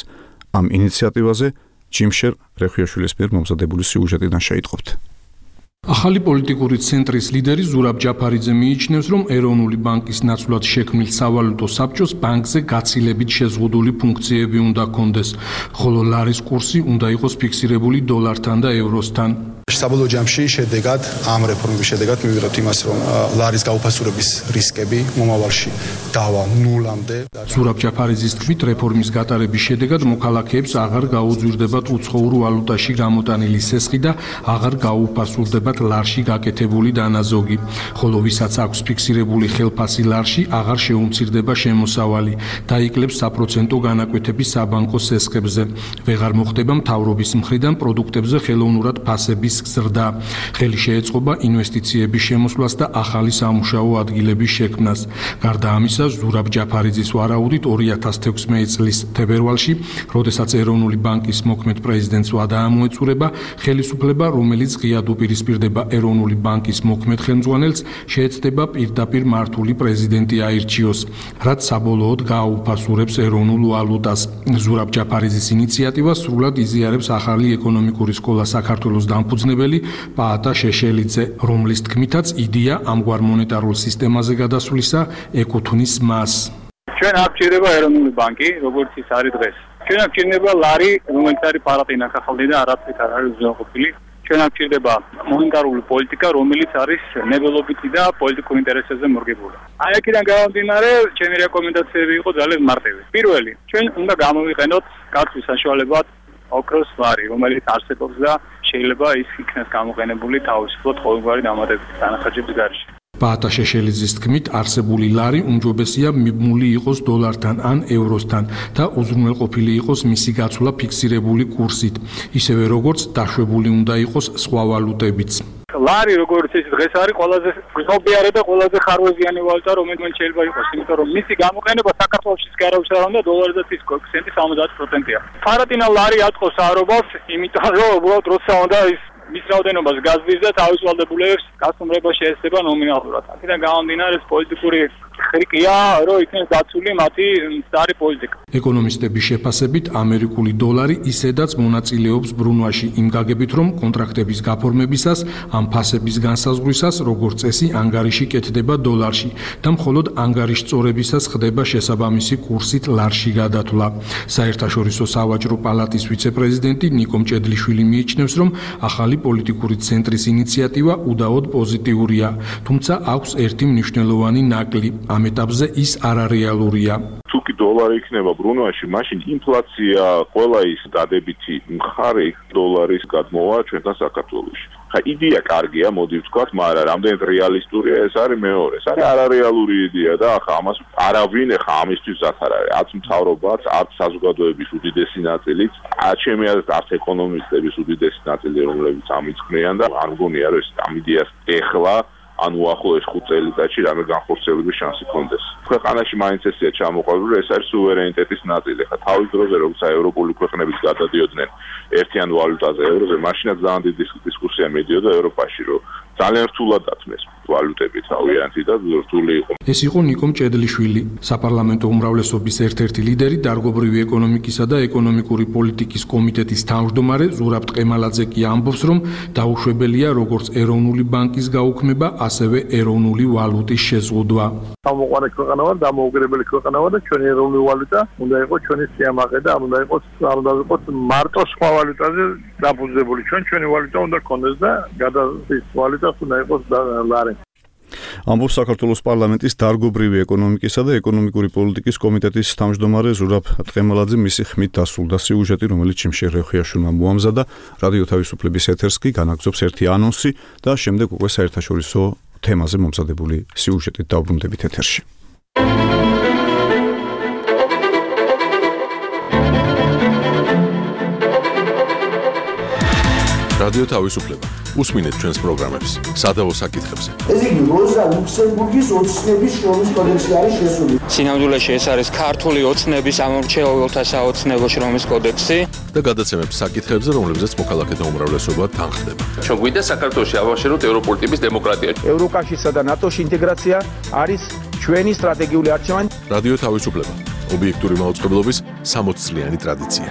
ამ ინიციატივაზე ჯიმშერ რეხვიაშვილის მიერ მომზადებული სიუჟეტიდან შეიტყობთ. ახალი პოლიტიკური ცენტრის ლიდერი ზურაბ ჯაფარიძე მიიჩნევს, რომ ეროვნული ბანკის ნაცვლად შექმნილ სავალუტო საბჭოს ბანკზე გაცილებით შეზღუდული ფუნქციები უნდა ჰქონდეს, ხოლო ლარის კურსი უნდა იყოს ფიქსირებული დოლართან და ევროსთან. საბოლოო ჯამში შედეგად ამ რეფორმების შედეგად მივიღებთ იმას, რომ ლარის გაუფასურების რისკები მომავალში დავა ნულამდე. ზურაბ ჯაფარიძის თქმით, რეფორმის გატარების შედეგად მოქალაქეებს აღარ გაუძვირდებათ უცხოურ ვალუტაში გამოტანილი სესხი და აღარ გაუფასურდებათ ლარში გაკეთებული დანაზოგი, ხოლო ვისაც აქვს ფიქსირებული ხელფასი ლარში, აღარ შეუმცირდება შემოსავალი, დაიკლებს საპროცენტო განაკვეთები საბანკო სესხებზე. ვეღარ მოხდება მთავრობის მხრიდან პროდუქტებზე ხელოვნურად ფასების რისკს ზრდა. ხელი შეეწყობა ინვესტიციების შემოსვლას და ახალი სამუშაო ადგილების შექმნას. გარდა ამისა, ზურაბ ჯაფარიძის ვარაუდით 2016 წლის თებერვალში, როდესაც ეროვნული ბანკის მოქმედ პრეზიდენტს ვადა ამოეწურება, ხელისუფლება, რომელიც ღიად უპირისპირდება ეროვნული ბანკის მოქმედ ხელმძღვანელს, შეეცდება პირდაპირ მართული პრეზიდენტი აირჩიოს, რაც საბოლოოდ გააუფასურებს ეროვნულ ვალუტას. ზურაბ ჯაფარიძის ინიციატივას სრულად იზიარებს ახალი ეკონომიკური სკოლა საქართველოს დამფუძნებელი პაატა შეშელიძე, რომლის თქმითაც იდეა ამგვარ მონეტარულ სისტემაზე გადასვლისა ეკუთვნის მას. ჩვენ არ გჭირდება ეროვნული ბანკი, როგორც ის არის დღეს. ჩვენ არ გჭირდება ლარი, რომელიც არის პარატინა ხახალდი და არაფრით არ არის უზრუნველყოფილი. ჩვენ არ გჭირდება მონეტარული პოლიტიკა, რომელიც არის ნებელობითი და პოლიტიკურ ინტერესებზე მორგებული. აი აქედან გამომდინარე, ჩემი რეკომენდაციები იყო ძალიან მარტივი. პირველი, ჩვენ უნდა გამოვიყენოთ გაცვლის საშუალებად ოქროს ლარი, რომელიც არსებობს და შეიძლება ის იქნას გამოყენებული თავისუფლად ყოველგვარი დამატებითი დანახარჯების გარეშე. პაატა შეშელიძის თქმით, არსებული ლარი უმჯობესია მიბმული იყოს დოლართან ან ევროსთან და უზრუნველყოფილი იყოს მისი გაცვლა ფიქსირებული კურსით, ისევე როგორც დაშვებული უნდა იყოს სხვა ვალუტებიც. ლარი როგორც ის დღეს არის ყველაზე გზნობიარე და ყველაზე ხარვეზიანი ვალუტა, რომელიც შეიძლება იყოს, იმიტომ რომ მისი გამოყენება საქართველოშიც კი არავის არ უნდა, დოლარზეც ის კოეფიციენტი 70%-ია. პარატინა ლარი აწყობს საარობას, იმიტომ რომ უბრალოდ როცა უნდა ის მის რაოდენობას გაზრდის და თავისუფლებულებს გასუმრება შეეცდება ნომინალურად. აქედან გამომდინარე, პოლიტიკური ხრიკია, რომ იქნეს დაცული მათი მცდარი პოლიტიკა. ეკონომისტების შეფასებით, ამერიკული დოლარი ისედაც მონაწილეობს ბრუნვაში იმ გაგებით, რომ კონტრაქტების გაფორმებისას ამ ფასების განსაზღვრისას, როგორც წესი, ანგარიში კეთდება დოლარში და მხოლოდ ანგარიშწორებისას ხდება შესაბამისი კურსით ლარში გადათვლა. საერთაშორისო სავაჭრო პალატის ვიცე-პრეზიდენტი ნიკო მჭედლიშვილი მიიჩნევს, რომ ახალი პოლიტიკური ცენტრის ინიციატივა უდაოდ პოზიტიურია, თუმცა აქვს ერთი მნიშვნელოვანი ნაკლი. ამ ეტაპზე ის არარეალურია. თუ კი დოლარი იქნება ბრუნვაში, მაშინ ინფლაცია, ყველა ის დადებითი მხარე დოლარის გადმოვა ჩვენთან საქართველოში. ხა იდეა კარგია, მოდი ვთქვათ, მაგრამ რამდენად რეალისტურია, ეს არის მეორე. ეს არის არარეალური იდეა და ახლა ამას არავინ ახლა ამისთვის ზათ არ არის. არც მთავრობაც, არც საზოგადოების უდიდესი ნაწილიც, ჩემი აზრით, არც ეკონომისტების უდიდესი ნაწილი, რომლებიც ამიწყნიან და არ მგონია, რომ ეს ამ იდეას ეხლა ან უახლოეს 5 წელიწადში რამე განხორციელების შანსი კონდეს. ქვეყანაში მაინც ესეა ჩამოყალიბებული, ეს არის სუვერენიტეტის ნაწილი. ხა თავის დროზე როცა ევროპული ქვეყნებიც გადადიოდნენ ერთიან ვალუტაზე, ევროზე, მაშინაც ძალიან დიდი დისკუსია მიდიოდა ევროპაში, რომ ძალიან რთულად დათმეს ვალუტები თავიანთი და რთული იყო. ეს იყო ნიკო მჭედლიშვილი, საპარლამენტო უმრავლესობის ერთ-ერთი ლიდერი, დარგობრივი ეკონომიკისა და ეკონომიკური პოლიტიკის კომიტეტის თავმჯდომარე ზურაბ ტყემალაძე კი ამბობს, რომ დაუშვებელია როგორც ეროვნული ბანკის გაუქმება, ასევე ეროვნული ვალუტის შეზღუდვა. გამოყვანილი ქვეყანა ვარ, დამოუკიდებელი ქვეყანა ვარ და ჩვენი ეროვნული ვალუტა უნდა იყოს ჩვენი სიამაყე და არ უნდა იყოს მარტო სხვა ვალუტაზე დაფუძნებული. ჩვენი ვალუტა უნდა გქონდეს და გადასის ვალუტას უნდა იყოს ლარი. ამბობს საქართველოს პარლამენტის დარგობრივი ეკონომიკისა და ეკონომიკური პოლიტიკის კომიტეტის თავმჯდომარე ზურაბ ტყემალაძე. მისი ხმით დასრულდა სიუჟეტი, რომელიც ჩიმშე რეხიაშვილმა მოამზადა. რადიო თავისუფლების ეთერს კი განაგზობს ერთი ანონსი და შემდეგ უკვე საერთაშორისო თემაზე მომზადებული სიუჟეტით დავბრუნდებით ეთერში. რადიო თავისუფლება. უსმინეთ ჩვენს პროგრამებს სადავო საკითხებზე. ეს იგი როზა ლუქსემბურგის ოცნების შრომის კოდექსი არის შესული. სინამდვილეში ეს არის ქართული ოცნების ამორჩეულთა საოცნებო შრომის კოდექსი და გადაცემებს საკითხებზე, რომლებზეც მოქალაქეთა უმრავლესობა თანხდება. ჩვენ გვინდა საქართველოში ავაშენოთ ევროპული ტიპის დემოკრატია. ევროკავშირსა და ნატოში ინტეგრაცია არის ჩვენი სტრატეგიული არჩევანი. რადიო თავისუფლება. ობიექტური მაუწყებლობის 60 წლიანი ტრადიცია.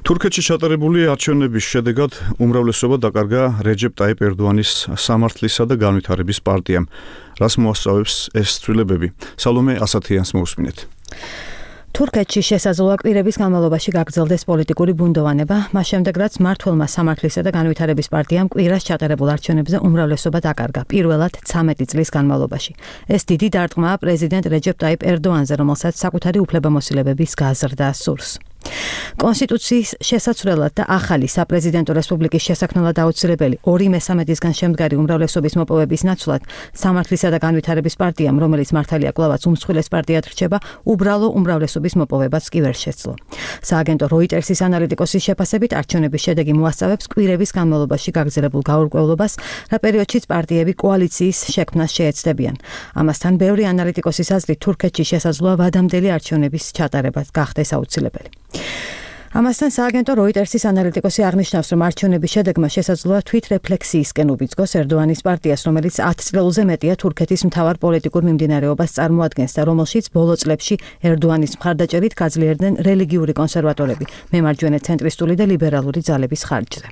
თურქეთში ჩატარებული არჩევნების შედეგად უმრავლესობა დაკარგა რეჯეპ ტაიპ ერდოანის სამართლისა და განვითარების პარტიამ. რას მოასწავებს ეს ცვლილებები? სალომე ასათიანს მოусმინეთ. თურქეთში შესაძლოა კვირების განმავლობაში გაგრძელდეს პოლიტიკური ბუნდოვანება, მას შემდეგ რაც მმართველმა სამართლისა და განვითარების პარტიამ კვირას ჩატარებულ არჩევნებზე უმრავლესობა დაკარგა, პირველად 13 წლის განმავლობაში. ეს დიდი დარტყმაა პრეზიდენტ რეჯეპ ტაიპ ერდოანზე, რომელსაც საკუთარი უფლებამოსილებების გაზრდა სურს. კონსტიტუციის შესაცვლელად და ახალი საპრეზიდენტო რესპუბლიკის შესაქმნელად აუცილებელი 2/3-ისგან შემდგარი უმრავლესობის მოპოვების ნაცვლად სამართლისა და განვითარების პარტიამ, რომელიც მართალია კვლავაც უმსხვილეს პარტიად რჩება, უბრალო უმრავლესობის მოპოვებაც კი ვერ შეძლო. სააგენტო როიტერსის ანალიტიკოსის შეფასებით არჩევნების შედეგი მოასწავებს კვირების განმავლობაში გაგრძელებულ გაურკვევლობას, რა პერიოდშიც პარტიები კოალიციის შექმნას შეეცდებიან. ამასთან ბევრი ანალიტიკოსის აზრით თურქეთში შესაძლოა ვადამდელი არჩევნების ჩატარება გახდეს აუცილებელი. ამასთან სააგენტო როიტერსის ანალიტიკოსი აღნიშნავს, რომ არჩევნების შედეგმა შესაძლოა თვითრეფლექსიისკენ უბიძგოს ერდოანის პარტიას, რომელიც 10 წლზე მეტია თურქეთის მთავარ პოლიტიკურ მიმდინარეობას წარმოადგენს და რომელშიც ბოლო წლებში ერდოანის მხარდაჭერით გაძლიერდნენ რელიგიური კონსერვატორები, მემარჯვენე ცენტრისტული და ლიბერალური ძალების ხარჯზე.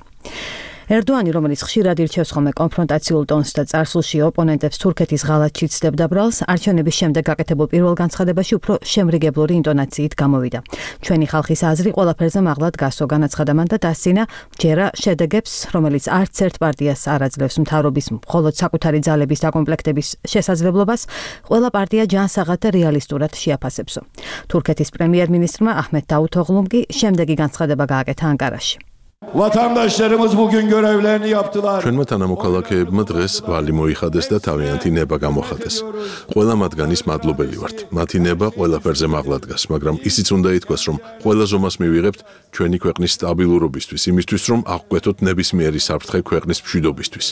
ერდოანი, რომელიც ხშირად ირჩევს ხოლმე კონფრონტაციულ ტონს და წარსულში ოპონენტებს თურქეთის ღალატში ცდებდა ბრალს, არჩევნების შემდეგ გაკეთებულ პირველ განცხადებაში უფრო შემრიგებლური ინტონაციით გამოვიდა. ჩვენი ხალხის აზრი ყველაფერზე მაღლად გასო, განაცხადა მან და დასცინა, ჯერა შედეგებს, რომელიც არც ერთ პარტიას არ აძლევს მთავრობის მხოლოდ საკუთარი ძალების დაკომპლექტების შესაძლებლობას, ყველა პარტია ჯანსაღად და რეალისტურად შეაფასებსო. თურქეთის პრემიერ-მინისტრმა აჰმედ დავუთოღლუმ კი შემდეგი განცხადება გააკეთა ანკარაში. Vatandaşlarımız bugün görevlerini yaptılar. ჩვენმა თანამოქალაქეებმა დღეს ვალი მოიხადეს და თავიანთი ნება გამოხატეს. ყველა მათგანის მადლობელი ვართ. მათი ნება ყველაფერზე მაღლა დგას, მაგრამ ისიც უნდა ითქვას, რომ ყველა ზომას მივიღებთ ჩვენი ქვეყნის სტაბილურობისთვის, იმისთვის, რომ აღკვეთოთ ნებისმიერი საფრთხე ქვეყნის მშვიდობისთვის.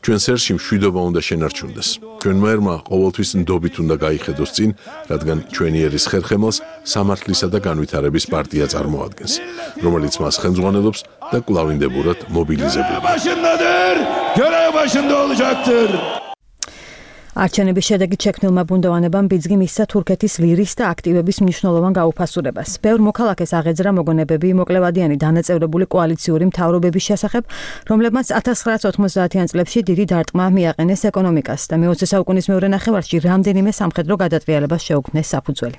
ჩვენ სერში მშვიდობა უნდა შენარჩუნდეს. ჩვენმა ერმა ყოველთვის ნდობით უნდა გაიხედოს წინ, რადგან ჩვენი ერის ხერხემალს სამართლისა და განვითარების პარტია წარმოადგენს, რომელიც მას ხელმძღვანელობს და კვლავინდებურად მობილიზებულია. Görev başında olacaktır. არჩევნების შედეგით შექმნილმა ბუნდოვანებამ ბიძგი მისცა თურქეთის ლირის და აქტივების მნიშვნელოვან გაუფასურებას. ბევრ მოქალაქეს აღეძრა მოგონებები მოკლევადიანი დანაწევრებული კოალიციური მთავრობების შესახებ, რომლებმაც 1990-იან წლებში დიდი დარტყმა მიაყენეს ეკონომიკას და მე-20 საუკუნის მეორე ნახევარში რამდენიმე სამხედრო გადატრიალებას შეუქმნეს საფუძველი.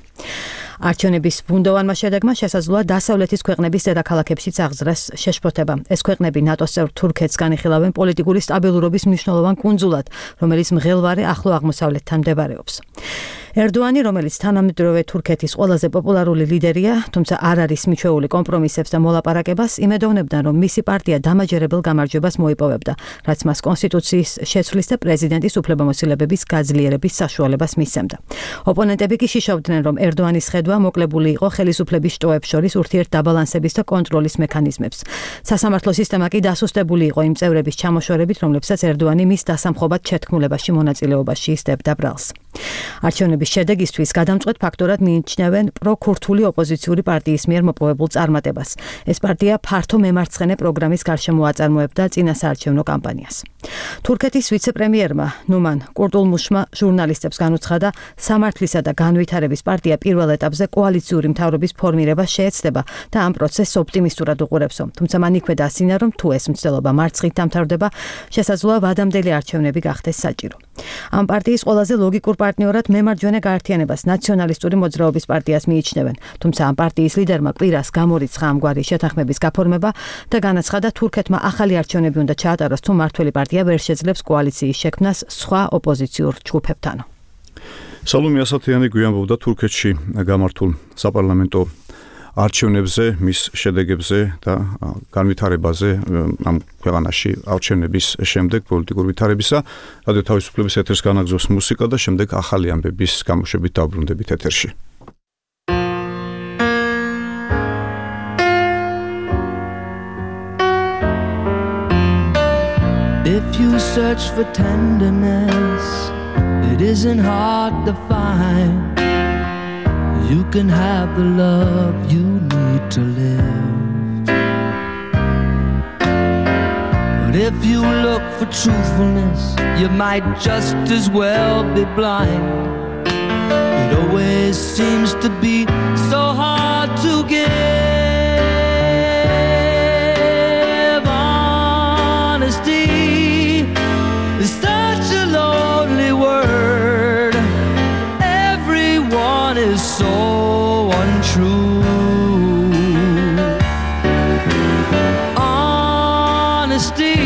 არჩევნების ბუნდოვანმა შედეგმა შესაძლოა დასავლეთის ქვეყნების დედაქალაქებშიც აღძრას შეშფოთება. ეს ქვეყნები ნატოს წევრ თურქეთს განიხილავენ პოლიტიკური სტაბილურობის მნიშვნელოვან კუნძულად, რომელიც მღელვარე ახლო აღმოსავლეთთან მდებარეობს. ერდოანი, რომელიც თანამედროვე თურქეთის ყველაზე პოპულარული ლიდერია, თუმცა არ არის მიჩვეული კომპრომისებს და მოლაპარაკებას, იმედოვნებდა, რომ მისი პარტია დამაჯერებელ გამარჯვებას მოიპოვებდა, რაც მას კონსტიტუციის შეცვლის და პრეზიდენტის უფლებამოსილებების გაძლიერების საშუალებას მისცემდა. ოპონენტები კი შიშობდნენ, რომ ერდოანის ხედვა მოკლებული იყო ხელისუფლების შტოებს შორის ურთიერთდაბალანსების და კონტროლის მექანიზმებს. სასამართლო სისტემა კი დასუსტებული იყო იმ წევრების ჩამოშორებით, რომლებსაც ერდოანი მის დასამხობად შეთქმულებაში მონაწილეობაში ისდებდა ბრალს. არჩევნების შედეგისთვის გადამწყვეტ ფაქტორად მიიჩნევენ პროქურთული ოპოზიციური პარტიის მიერ მოპოვებულ წარმატებას. ეს პარტია ფართო მემარცხენე პროგრამის გარშემო აწარმოებდა წინასაარჩევნო კამპანიას. თურქეთის ვიცე-პრემიერმა ნუმან კურტულმუშმა ჟურნალისტებს განუცხადა, სამართლისა და განვითარების პარტია პირველ ეტაპზე კოალიციური მთავრობის ფორმირებას შეეცდება და ამ პროცესს ოპტიმისტურად უყურებსო. თუმცა მან იქვე დასცინა, რომ თუ ეს მცდელობა მარცხით დამთავრდება, შესაძლოა ვადამდელი არჩევნები გახდეს საჭირო. ამ პარტიის ყველაზე ლოგიკურ პარტნიორად მემარჯვენე გაერთიანებას ნაციონალისტური მოძრაობის პარტიას მიიჩნევენ, თუმცა ამ პარტიის ლიდერმა კვირას გამორიცხა ამგვარი შეთანხმების გაფორმება და განაცხადა, თურქეთმა ახალი არჩევნები უნდა ჩაატაროს, თუ მართველი პარტია ვერ შეძლებს კოალიციის შექმნას სხვა ოპოზიციურ ჯგუფებთან. სალომე ასათიანი გვიანბობდა თურქეთში გამართულ საპარლამენტო არჩევნებზე, მის შედეგებზე და განვითარებაზე ამ ქვეყანაში არჩევნების შემდეგ პოლიტიკური ვითარებისა. რადიო თავისუფლების ეთერს განაგზავს მუსიკა და შემდეგ ახალი ამბების გამოშვებით დავბრუნდებით ეთერში. If you search for tenderness, it isn't hard to find. You can have the love you need to live. But if you look for truthfulness, you might just as well be blind. It always seems to be so hard to give. Honesty is such a lonely word. Everyone is so untrue. Honesty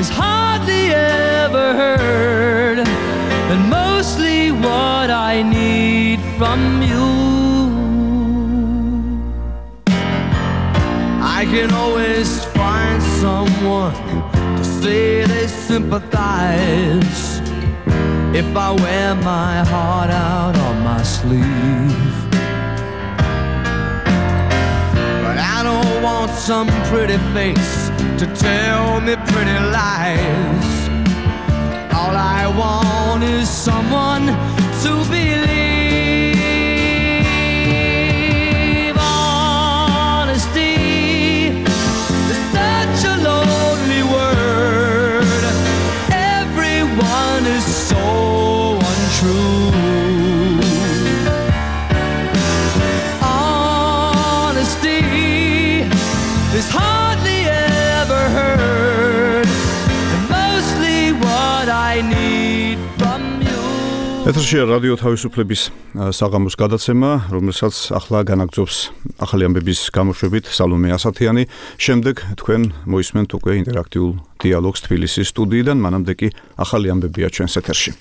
is hardly ever heard, and mostly what I need from you. can always find someone to say they sympathize if I wear my heart out on my sleeve. But I don't want some pretty face to tell me pretty lies. All I want is someone to believe. Honesty is such a lonely word. Everyone is so untrue. Honesty is hardly ever heard, and mostly what I need from you. ეთერშია რადიო თავისუფლების საღამოს გადაცემა, რომელსაც ახლა განაგრძობს ახალი ამბების გამოშვებით სალომე ასათიანი. შემდეგ თქვენ მოისმენთ უკვე ინტერაქტიულ დიალოგს თბილისის სტუდიიდან, მანამდე კი ახალი ამბებია ჩვენს ეთერში.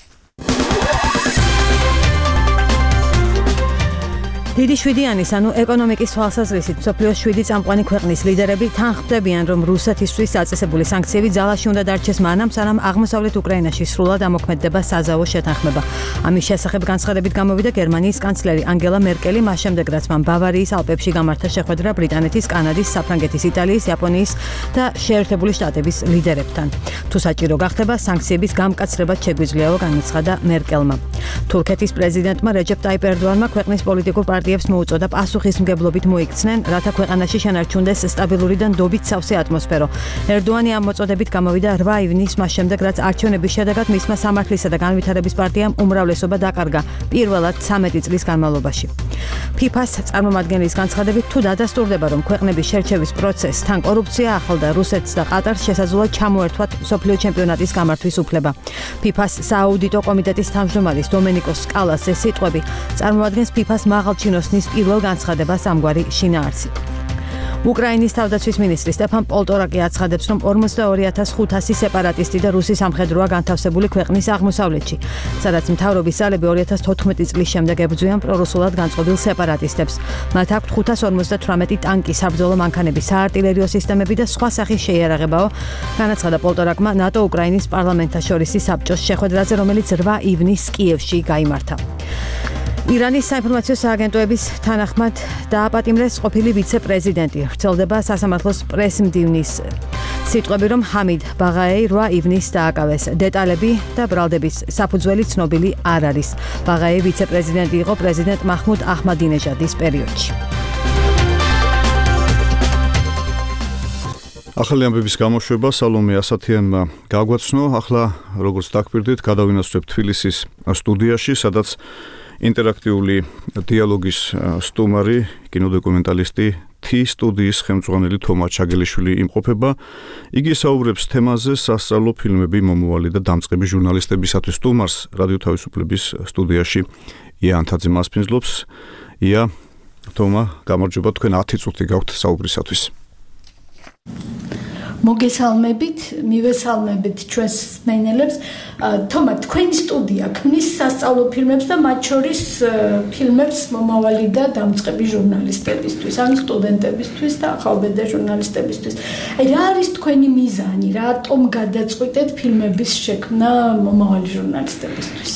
დიდი შვიდიანის, ანუ ეკონომიკის თვალსაზრისით, მსოფლიოს 7 წამყვანი ქვეყნის ლიდერები თანხმდებიან, რომ რუსეთისთვის წაწესებული სანქციები ძალაში უნდა დარჩეს მანამ, სანამ აღმოსავლეთ უკრაინაში სრულად ამოქმედდება საზავო შეთანხმება. ამის შესახებ განცხადებით გამოვიდა გერმანიის კანცლერი ანგელა მერკელი, მას შემდეგ რაც მან ბავარიის ალპებში გამართა შეხვედრა ბრიტანეთის, კანადის, საფრანგეთის, იტალიის, იაპონიის და შეერთებული შტატების ლიდერებთან. თუ საჭირო გახდება, სანქციების გამკაცრებაც შეგვიძლიაო, განაცხადა მერკელმა. თურქეთის პრეზიდენტმა რეჯეპ ტაიპ ერდოანმა ქვეყნის პოლიტიკურ პარტიებს მოუწოდა პასუხისმგებლობით მოიქცნენ, რათა ქვეყანაში შენარჩუნდეს სტაბილური და ნდობით სავსე ატმოსფერო. ერდოანი ამ მოწოდებით გამოვიდა 8 ივნისს, მას შემდეგ რაც არჩევნების შედეგად მისმა სამართლისა და განვითარების პარტიამ უმრავლესობა დაკარგა პირველად 13 წლის განმავლობაში. ფიფას წარმომადგენლის განცხადებით, თუ დადასტურდება, რომ ქვეყნების შერჩევის პროცესთან კორუფცია ახლდა რუსეთს და ყატარს შესაძლოა ჩამოერთვათ მსოფლიო ჩემპიონატის გამართვის უფლება. ფიფას სააუდიტო კომიტეტის თავმჯდომარის დომენიკოს სკალას ეს სიტყვები წარმოადგენს ფიფას მაღალჩინოსნის პირველ განცხადებას ამგვარი შინაარსით. უკრაინის თავდაცვის მინისტრი სტეფან პოლტორაკი აცხადებს, რომ 42500 სეპარატისტი და რუსი სამხედროა განთავსებული ქვეყნის აღმოსავლეთში, სადაც მთავრობის ძალები 2014 წლის შემდეგ ებრძვიან პრორუსულად განწყობილ სეპარატისტებს. მათ აქვთ 558 ტანკი, საბრძოლო მანქანები, საარტილერიო სისტემები და სხვა სახის შეიარაღებაო, განაცხადა პოლტორაკმა ნატო უკრაინის პარლამენტთა შორისი საბჭოს შეხვედრაზე, რომელიც 8 ივნისს კიევში გაიმართა. ირანის საინფორმაციო სააგენტოების თანახმად დააპატიმრეს ყოფილი ვიცე-პრეზიდენტი. ვრცელდება სასამართლოს პრესმდივნის სიტყვები, რომ ჰამიდ ბაღაეი 8 ივნისს დააკავეს. დეტალები და ბრალდების საფუძველი ცნობილი არ არის. ბაღაეი ვიცე-პრეზიდენტი იყო პრეზიდენტ მაჰმუდ აჰმადინეჟადის პერიოდში. ახალი ამბების გამოშვება სალომე ასათიანმა გაგვაცნო. ახლა როგორც დაგპირდით, გადავინაცვლებთ თბილისის სტუდიაში, სადაც ინტერაქტიული დიალოგის სტუმარი, კინოდოკუმენტალისტი T სტუდიის ხელმძღვანელი თომა ჩაგელიშვილი იმყოფება. იგი საუბრებს თემაზე სასწავლო ფილმები მომავალი და დამწყები ჟურნალისტებისათვის. სტუმარს რადიო თავისუფლების სტუდიაში ია ანთაძე მასპინძლობს. ია, თომა, გამარჯობა, თქვენ 10 წუთი გაქვთ საუბრისათვის. მოგესალმებით, მივესალმებით ჩვენს მენელებს. თომა, თქვენი სტუდია ქმნის სასწავლო ფილმებს და მათ შორის ფილმებს მომავალი და დამწყები ჟურნალისტებისთვის, ან სტუდენტებისთვის და ახალბედა ჟურნალისტებისთვის. რა არის თქვენი მიზანი? რატომ გადაწყვიტეთ ფილმების შექმნა მომავალი ჟურნალისტებისთვის?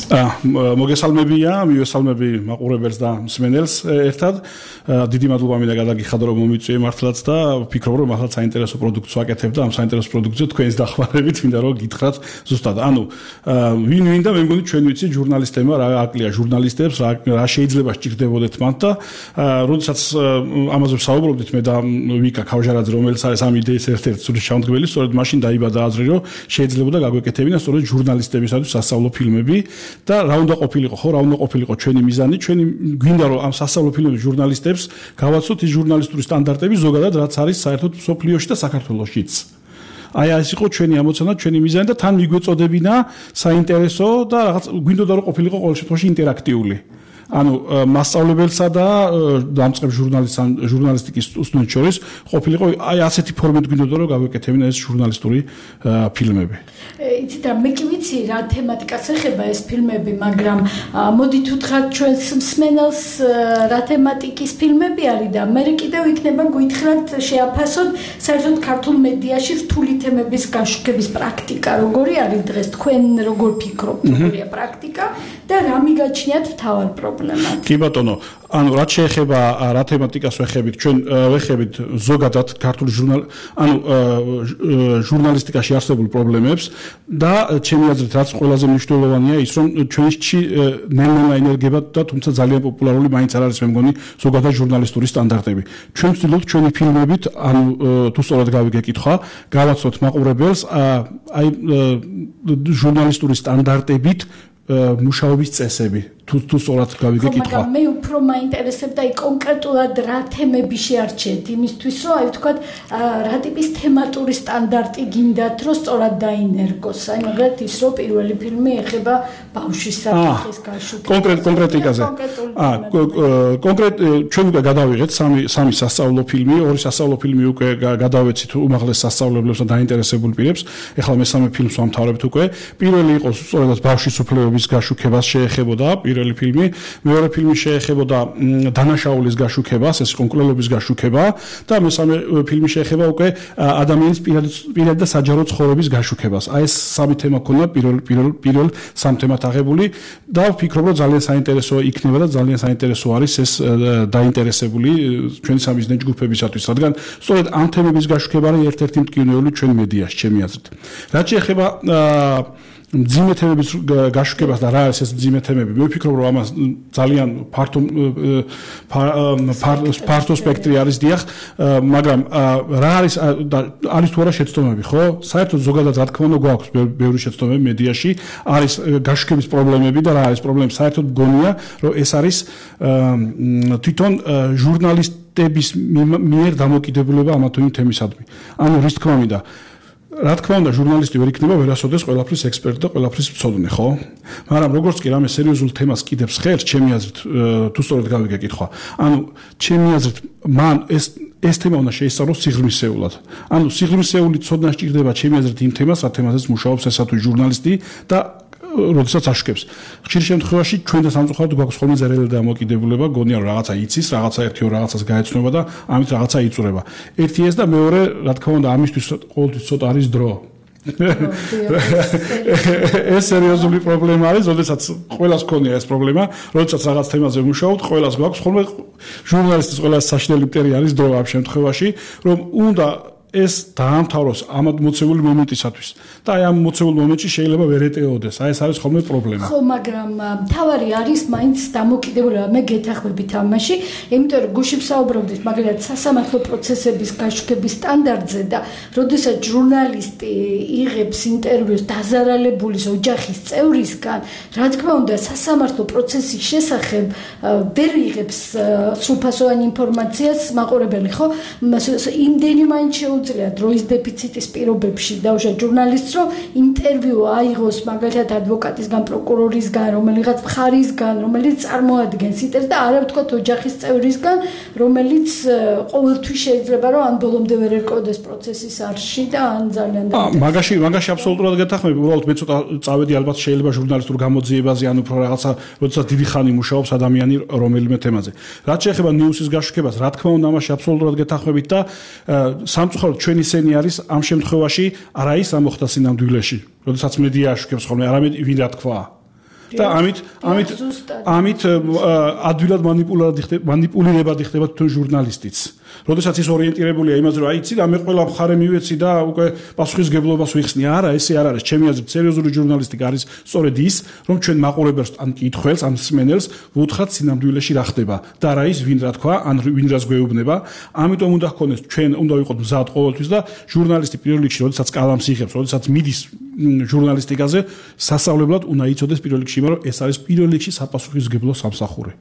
მოგესალმებია, მივესალმები მაყურებელს და მსმენელს ერთად. დიდი მადლობა მინდა გადაგიხადო, რომ მომიწვიე მართლაც და ვფიქრობ, რომ ახლა საინტერესო პროდუქცია ვაკეთებ და ამ საინტერესო პროდუქციას თქვენს დახმარებით მინდა რომ გითხრათ ზუსტად. ანუ ვინ და მე მგონი ჩვენ ვიცით ჟურნალისტებმა რა აკლია ჟურნალისტებს, რა შეიძლება სჭირდებოდეთ მათ და როდესაც ამაზე ვსაუბრობდით მე და ვიკა ქავჟარაძე, რომელიც არის ამ იდეის ერთ-ერთი სულის ჩამდგმელი, სწორედ მაშინ დაიბადა აზრი, რომ შეიძლებოდა გაგვეკეთებინა სწორედ ჟურნალისტებისათვის სასწავლო ფილმები და რა უნდა ყოფილიყო, ხო, რა უნდა ყოფილიყო ჩვენი მიზანი, ჩვენი გვინდა რომ ამ სასწავლო ფილმების ჟურნალისტებს გავაცოთ ის ჟურნალისტური სტანდარტები ზოგადად, რაც არის საერთოდ მსოფლიოში და საქართველოშიც. აი ეს იყო ჩვენი ამოცანა, ჩვენი მიზანი და თან მიგვეწოდებინა საინტერესო და რაღაც გვინდოდა რომ ყოფილიყო ყოველ შემთხვევაში ინტერაქტიული. ანუ მასწავლებელსა და დამწყებ ჟურნალისტიკის სტუდენტს შორის ყოფილიყო აი ასეთი ფორმით გვინდოდა რომ გავეკეთებინა ეს ჟურნალისტური ფილმები. იცით რა მე კი ვიცი რა თემატიკას ეხება ეს ფილმები, მაგრამ მოდით უთხრათ ჩვენს მსმენელს რა თემატიკის ფილმები არის და მე კიდევ იქნება გითხრათ შეაფასოთ საერთოდ ქართულ მედიაში რთული თემების გაშუქების პრაქტიკა როგორი არის დღეს თქვენ როგორ ფიქრობთ როგორია პრაქტიკა და რა მიგაჩნიათ მთავარ პრობლემად? კი ბატონო, ანუ რაც შეეხება რა თემატიკას ვეხებით, ჩვენ ვეხებით ზოგადად ქართული ჟურნალისტიკაში არსებულ პრობლემებს და ჩემი აზრით რაც ყველაზე მნიშვნელოვანია ის რომ ჩვენში ნელ-ნელა ენერგება და თუმცა ძალიან პოპულარული მაინც არ არის მე მგონი ზოგადად ჟურნალისტური სტანდარტები. ჩვენ ვცდილობთ ჩვენი ფილმებით, ანუ თუ სწორად გავიგე კითხვა, გავაცნოთ მაყურებელს აი ჟურნალისტური სტანდარტებით მუშაობის წესები. თუ სწორად გავიგე კითხვა. მაგრამ მე უფრო მაინტერესებდა აი კონკრეტულად რა თემები შეარჩიეთ იმისთვის რომ აი ვთქვათ რა ტიპის თემატური სტანდარტი გინდათ რომ სწორად დაინერგოს. აი მაგალითად ის რომ პირველი ფილმი ეხება ბავშვის საფრთხის გაშუქებას. კონკრეტიკაზე. ჩვენ უკვე გადავიღეთ სამი სასწავლო ფილმი, ორი სასწავლო ფილმი უკვე გადავეცით უმაღლეს სასწავლებლებს და დაინტერესებულ პირებს. ეხლა მესამე ფილმს ვამთავრებთ უკვე. პირველი იყო სწორედ ბავშვის უფლებების გაშუქებას შეეხებოდა პირველი ფილმი, მეორე ფილმი შეეხებოდა დანაშაულის გაშუქებას, ეს კონკრეტულობის გაშუქება და მესამე ფილმი შეეხება უკვე ადამიანის პირადი და საჯარო ცხოვრების გაშუქებას. აი ეს სამი თემა ქონდა პირველ სამ თემად აღებული და ვფიქრობ რომ ძალიან საინტერესო იქნება და ძალიან საინტერესო არის ეს დაინტერესებული ჩვენი სამიზნე ჯგუფებისათვის, რადგან სწორედ ამ თემების გაშუქება არის ერთ-ერთი მტკივნეული ჩვენ მედიაში, ჩემი აზრით. რაც შეეხება მძიმე თემების გაშუქებას და რა არის ეს მძიმე თემები, მე ვფიქრობ რომ ამას ძალიან ფართო სპექტრი არის დიახ, მაგრამ რა არის თუ არა შეცდომები, ხო? საერთოდ ზოგადად რა თქმა უნდა გვაქვს ბევრი შეცდომები მედიაში, არის გაშუქების პრობლემები და რა არის პრობლემები, საერთოდ მგონია რომ ეს არის თვითონ ჟურნალისტების მიერ დამოკიდებულება ამა თუ იმ თემისადმი. ანუ რის თქმა მინდა რა თქმა უნდა ჟურნალისტი ვერ იქნება ვერასოდეს ყველაფრის ექსპერტი და ყველაფრის მცოდნე, ხო? მაგრამ როგორც კი რამე სერიოზულ თემას კიდებს ხელს, ჩემი აზრით, თუ სწორად გავიგე კითხვა. ანუ ჩემი აზრით, მან ეს თემა უნდა შეისწავლოს სიღრმისეულად. ანუ სიღრმისეული ცოდნა სჭირდება ჩემი აზრით იმ თემას, რა თემაზეც მუშაობს ესა თუ ჟურნალისტი და როდესაც აშუქებს. ხშირ შემთხვევაში ჩვენ და სამწუხაროდ გვაქვს ხოლმე ზერელი დამოკიდებულება, გონია რომ რაღაცა იცის, რაღაცა ერთი ორ რაღაცას გაეცნობა და ამით რაღაცა იწურება. ერთი ეს და მეორე, რა თქმა უნდა, ამისთვის ყოველთვის ცოტა არის დრო. ეს სერიოზული პრობლემა არის, როდესაც ყველას ქონია ეს პრობლემა, როდესაც რაღაც თემაზე მუშაობთ, ყველას გვაქვს ხოლმე ჟურნალისტის ყველას საშინელი მტერი არის დრო ამ შემთხვევაში, რომ უნდა ეს დაამთავროს ამ მოცემული მომენტისათვის და აი ამ მოცემულ მომენტში შეიძლება ვერ ეტეოდეს. აი ეს არის ხოლმე პრობლემა. ხო, მაგრამ თავარი არის მაინც დამოკიდებულება. მე გეთახმებით ამაში, იმიტომ რომ გუშინ ვსაუბრობდით მაგალითად სასამართლო პროცესების გაშუქების სტანდარტზე და როდესაც ჟურნალისტი იღებს ინტერვიუს დაზარალებულის ოჯახის წევრისგან, რა თქმა უნდა, სასამართლო პროცესის შესახებ ვერ იღებს სრულფასოვანი ინფორმაციას მაყურებელი, ხო? იმდენი მაინც შეუძლია დროის დეფიციტის პირობებში დაუშვათ ჟურნალისტს, რომ ინტერვიუ აიღოს მაგალითად ადვოკატისგან, პროკურორისგან, რომელიღაც მხარისგან, რომელიც წარმოადგენს ინტერესს და არა ვთქვათ ოჯახის წევრისგან, რომელიც ყოველთვის შეიძლება რომ ან ბოლომდე ვერ ერკვევდეს პროცესის არში და ან ძალიან მაგაში აბსოლუტურად გეთახმები, უბრალოდ მე ცოტა წავედი ალბათ შეიძლება ჟურნალისტურ გამოძიებაზე, ან უფრო რაღაცა, როდესაც დიდი ხანი მუშაობს ადამიანი რომელიმე თემაზე. რაც შეეხება ნიუსის გაშუქებას, რა თქმა უნდა, ამაში აბსოლუტურად გეთახმებით და სამწუხაროდ ჩვენი სენი არის ამ შემთხვევაში არა ის რა მოხდა სინამდვილეში, როდესაც მედია აშუქებს ხოლმე, არამედ ვინ რა თქვა. და ამით ადვილად მანიპულირებადი ხდება თვითონ ჟურნალისტიც. როდესაც ის ორიენტირებულია იმაზე, რომ აიცი და მე ყველა მხარე მივეცი და უკვე პასუხისგებლობას ვიხსნი. არა, ესე არ არის. ჩემი აზრით, სერიოზული ჟურნალისტიკა არის სწორედ ის, რომ ჩვენ მაყურებელს ან კითხველს, ან მსმენელს ვუთხრათ სინამდვილეში რა ხდება და რა ის ვინ რა თქვა, ან ვინ რას გვეუბნება. ამიტომ უნდა ჰქონდეს ჩვენ უნდა ვიყოთ მზად ყოველთვის და ჟურნალისტი პირველ რიგში, როდესაც კალამს იღებს, როდესაც მიდის ჟურნალისტიკაზე, სასწავლებლად უნდა იცოდეს პირველ რიგში, რომ ეს არის პირველ რიგში საპასუხისგებლო სამსახური.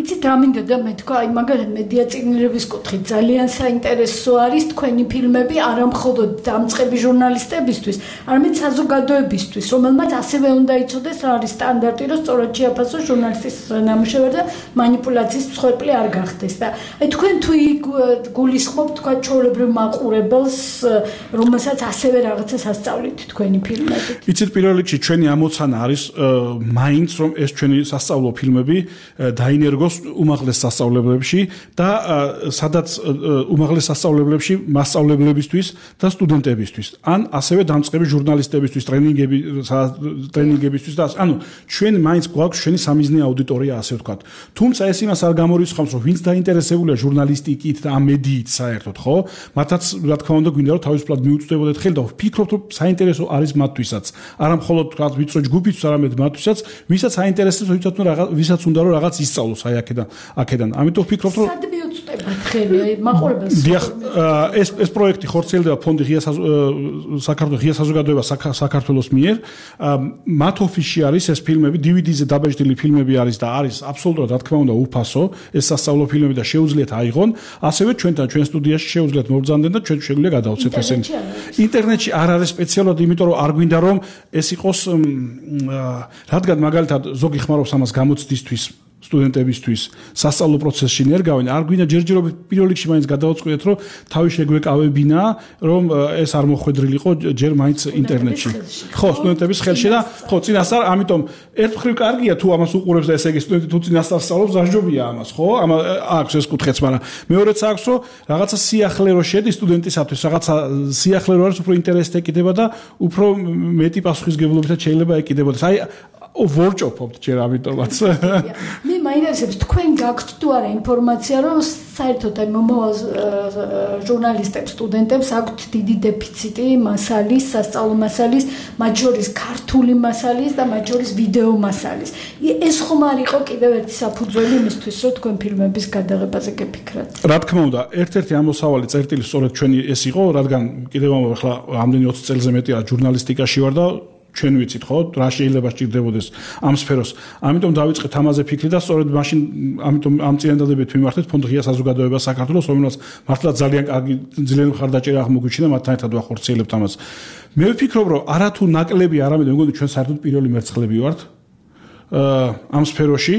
იცით რა მინდოდა მე თქვა, აი მაგალითად მედია წიგნების კუთხით ძალიან საინტერესო არის თქვენი ფილმები არა მხოლოდ დამწყები ჟურნალისტებისთვის, არამედ საზოგადოებისთვის, რომელმაც ასევე უნდა იცოდეს რა არის სტანდარტი, რომ სწორად შეაფასოს ჟურნალისტის ნამუშევარი და манипуляციის მსხვერპლი არ გახდეს და აი თქვენ თუ გულისხმობთ თქვა ჩვეულებრივ მაყურებელს, რომელსაც ასევე რაღაცა სასწავლით თქვენი ფილმებით. იცით პირველ რიგში ჩვენი ამოცანა არის მაინც რომ ეს ჩვენი სასწავლო ფილმები დაინერგოს უმაღლეს სასწავლებლებში და სადაც უმაღლეს სასწავლებლებში მასწავლებლებისთვის და სტუდენტებისთვის ან ასევე დამწყები ჟურნალისტებისთვის ტრენინგებისთვის და ანუ ჩვენ მაინც გვაქვს ჩვენი სამიზნე აუდიტორია ასე ვთქვათ. თუმცა ეს იმას არ გამორიცხავს რომ ვინც დაინტერესებულია ჟურნალისტიკით და ამ მედიით საერთოდ ხო მათაც რა თქმა უნდა გვინდა რომ თავისუფლად მიუწვდებოდეთ ხელი და ვფიქრობთ რომ საინტერესო არის მათთვისაც არა მხოლოდ თქვა ვიწრო ჯგუფისთვის არამედ მათთვისაც ვისაც აინტერესებს ვისაც უნდა რომ რაღაც ისწავლოს აი აქედან ამიტომ ვფიქრობთ რომ სად მიუწვდებათ ხელი მაყურებელს დიახ ეს პროექტი ხორციელდება ფონდი ღია საზოგადოება საქართველოს მიერ მათ ოფისში არის ეს ფილმები DVD-ზე დაბეჭდილი ფილმები არის და არის აბსოლუტურად რა თქმა უნდა უფასო ეს სასწავლო ფილმები და შეუძლიათ აიღონ ასევე ჩვენთან ჩვენ სტუდიაში შეუძლიათ მობრძანდნენ და ჩვენ შეგვიძლია გადავცეთ ესენი ინტერნეტში არ არის სპეციალურად იმიტომ რომ არ გვინდა რომ ეს იყოს რადგან მაგალითად ზოგი ხმარობს ამას გამოცდისთვის სტუდენტებისთვის სასწავლო პროცესში ნერგავენ არ გვინდა ჯერჯერობით პირველ რიგში მაინც გადავწყვეტეთ რომ თავი შეგვეკავებინა რომ ეს არ მოხვედრილიყო ჯერ მაინც ინტერნეტში ხო სტუდენტების ხელში და ხო წინასწარ ამიტომ ერთ მხრივ კარგია თუ ამას უყურებს და ესე იგი სტუდენტი თუ წინასწარ სწავლობს დაჟჯობია ამას ხო აქვს ეს კუთხეც მაგრამ მეორეც აქვს რომ რაღაცა სიახლე რო შედის სტუდენტისათვის რაღაცა სიახლე რო არის უფრო ინტერესით ეკიდება და უფრო მეტი პასუხისგებლობითაც შეიძლება ეკიდებოდეს აი ვორჭოფობთ ჯერ ამიტომაც მე მაინტერესებს თქვენ გაქვთ თუ არა ინფორმაცია რომ საერთოდ აი მომავალ ჟურნალისტებს სტუდენტებს აქვთ დიდი დეფიციტი მასალის სასწავლო მასალის მათ შორის ქართული მასალის და მათ შორის ვიდეო მასალის ეს ხომ არ იყო კიდევ ერთი საფუძველი იმისთვის რომ თქვენ ფილმების გადაღებაზე გეფიქრათ რა თქმა უნდა ერთ-ერთი ამოსავალი წერტილი სწორედ ჩვენი ეს იყო რადგან კიდევ ახლა ამდენი 20 წელზე მეტია ჟურნალისტიკაში ვარ და ჩვენ ვიცით ხო რა შეიძლება სჭირდებოდეს ამ სფეროს ამიტომ დავიწყეთ ამაზე ფიქრი და სწორედ მაშინ ამიტომ ამ წინადადებით მიმართეთ ფონდ ღია საზოგადოება საქართველოს რომელსაც მართლა ძალიან კარგი ძლიერი მხარდაჭერა აღმოგვიჩინა მათთან ერთად ვახორციელებთ ამას მე ვფიქრობ რომ არათუ ნაკლები არამედ მეგონი ჩვენ საერთოდ პირველი მერცხლები ვართ ამ სფეროში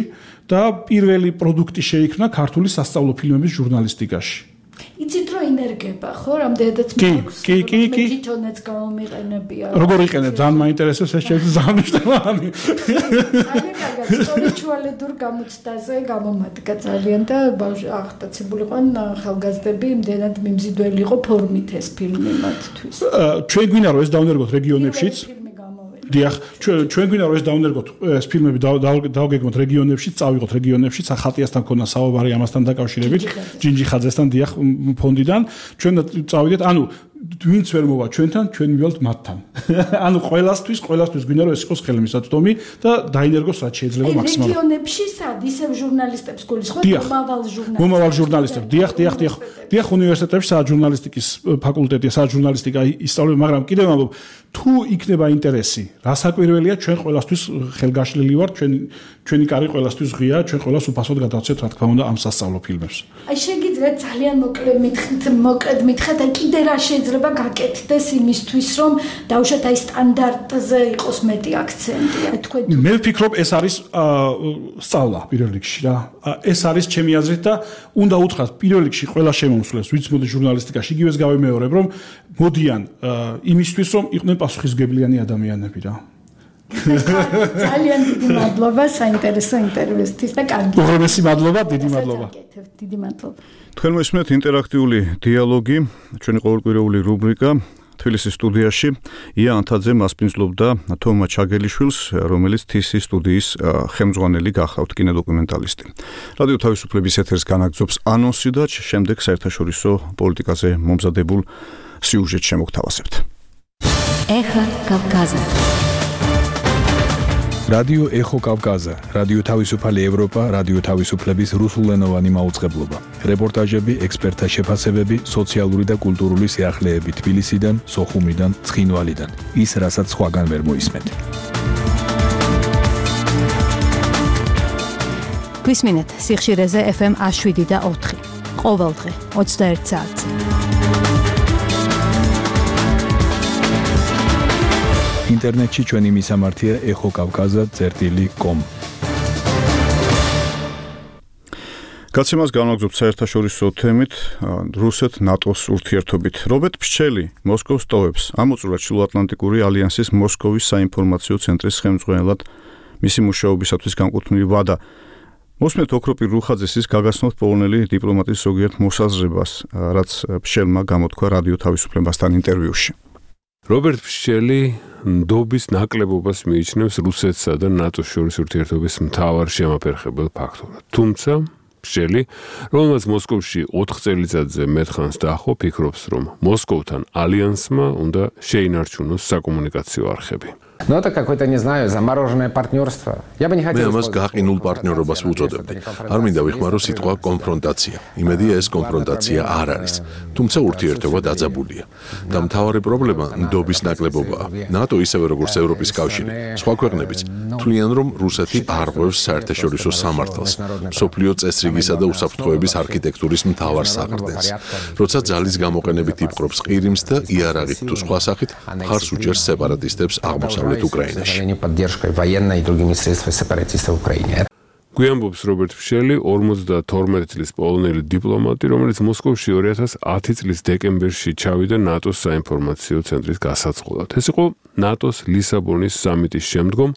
და პირველი პროდუქტი შეიქმნა ქართული სასწავლო ფილმების ჟურნალისტიკაში იცით რომ ინერგება ხო რამდენადაც მაქვს კი თვითონაც გამომიყენებია როგორ იყენებ ძალიან მაინტერესებს ეს შეიძლება ძალიან მნიშვნელოვანი ძალიან კარგად სწორი ჩუალედურ გამოცდაზე გამომადგა ძალიან და აღტაცებული ყვან ხალგაზრდები იმდენად მიმზიდველი იყო ფორმით ეს ფილმი მათთვის ჩვენ გვინდა რომ ეს დავნერგოთ რეგიონებშიც დიახ ჩვენ გვინდა რომ ეს დავნერგოთ ეს ფილმები დავგეგმოთ რეგიონებში წავიღოთ რეგიონებში ხატიასთან ქონა საუბარი ამასთან დაკავშირებით ჯინჯიხაძესთან დიახ ფონდიდან ჩვენ წავიდეთ ანუ ვინც ვერ მოვა ჩვენთან ჩვენ მივალთ მათთან ანუ ყველასთვის გვინდა რომ ეს იყოს ხელმისაწვდომი და დაინერგოს რაც შეიძლება მაქსიმალურად რეგიონებში სად ისევ ჟურნალისტებს გულისხმობთ მომავალ ჟურნალისტებს დიახ უნივერსიტეტებში სადაც ჟურნალისტიკის ფაკულტეტია სადაც ჟურნალისტიკა ისწავლება მაგრამ კიდევ ამბობ თუ იქნება ინტერესი რასაკვირველია ჩვენ ყველასთვის ხელგაშლილი ვართ ჩვენი კარი ყველასთვის ღია ჩვენ ყველას უფასოდ გადავცეთ რა თქმა უნდა ამ სასწავლო ფილმებს აი შეგიძლიათ ძალიან მოკლედ მითხრათ აი კიდე რა შეიძლება გაკეთდეს იმისთვის რომ დავუშვათ აი სტანდარტზე იყოს მეტი აქცენტი აი თქვენ მე ვფიქრობ ეს არის სწავლა პირველ რიგში რა ეს არის ჩემი აზრით და უნდა უთხრათ პირველ რიგში ყველა შემომსვლელს ვინც მოდი ჟურნალისტიკაში იგივეს გავიმეორებ რომ მოდიან იმისთვის რომ იყვნენ პასუხისმგებლიანი ადამიანები რა ძალიან დიდი მადლობა საინტერესო ინტერვიუსთვის და კარგი უღრმესი მადლობა დიდი მადლობა დიდი მადლობა თქვენ მოსმენთ ინტერაქტიული დიალოგი ჩვენი ყოველკვირეული რუბრიკა თბილისის სტუდიაში ია ანთაძე მასპინძლობდა თომა ჩაგელიშვილს რომელიც TC სტუდიის ხელმძღვანელი გახლავთ კინოდოკუმენტალისტი რადიო თავისუფლების ეთერს განაგრძობს ანონსი და შემდეგ საერთაშორისო პოლიტიკაზე მომზადებულ სიუჟეტს შემოგთავაზებთ ეხა კავკაზა რადიო ეხო კავკაზა, რადიო თავისუფალი ევროპა, რადიო თავისუფლების რუსულენოვანი მაუწყებლობა. რეპორტაჟები, ექსპერტთა შეფასებები, სოციალური და კულტურული სიახლეები თბილისიდან, სოხუმიდან, ცხინვალიდან. ის, რასაც სხვაგან ვერ მოისმენთ. გვისმინეთ სიხშირეზე FM 107 და 4. ყოველდღე 21 საათზე. ინტერნეტში ჩვენი მისამართია ეხოკავკაზა.com. გაცემას განვაგრძობთ საერთაშორისო თემით რუსეთ-ნატოს ურთიერთობით. რობერტ ფშელი მოსკოვს ტოვებს. ამოწურა ჩრდილოატლანტიკური ალიანსის მოსკოვის საინფორმაციო ცენტრის ხელმძღვანელად მისი მუშაობისათვის განკუთვნილი ვადა. მოსმენთ ოქროპირ რუხაძეს ის გაგაცნოთ პოლონელი დიპლომატის ზოგიერთ მოსაზრებას, რაც ფშელმა გამოთქვა რადიო თავისუფლებასთან ინტერვიუში. რობერტ ფშელი ნდობის ნაკლებობას მიიჩნევს რუსეთსა და ნატოს შორის ურთიერთობის მთავარ შემაფერხებელ ფაქტორად. თუმცა ფშელი, რომელმაც მოსკოვში 4 წელიწადზე მეტხანს დაახო, ფიქრობს, რომ მოსკოვთან ალიანსმა უნდა შეინარჩუნოს საკომუნიკაციო არხები. Но это какое-то, не знаю, замороженное партнерство. Я бы не хотел... მე ამას გაყინულ პარტნიორობას ვუწოდებდი. არ მინდა ვიხმარო სიტყვა კონფრონტაცია. იმედია ეს კონფრონტაცია არ არის. თუმცა ურთიერთობა დაძაბულია. და მთავარი პრობლემა ნდობის ნაკლებობაა. ნატო ისევე როგორც ევროპის კავშირი, სხვა ქვეყნებიც თვლიან, რომ რუსეთი არ ღვევს საერთაშორისო სამართალს, მსოფლიო წესრიგისა და უსაფრთხოების არქიტექტურის მთავარ საყრდენს. როცა ძალის გამოყენებით იპყრობს ყირიმს და იარაღით თუ სხვა სახით, მხარს უჭერს სეპარატისტებს აღმოსავლეთ поддержкой военной и другими средствами сепаратистов в Украине. გვიანბობს რობერტ ფშელი 52 წლის პოლონელი დიპლომატი, რომელიც მოსკოვში 2010 წლის დეკემბერში ჩავიდა ნატოს საინფორმაციო ცენტრის გასაწყობად. ეს იყო ნატოს ლისაბონის სამიტის შემდგომ,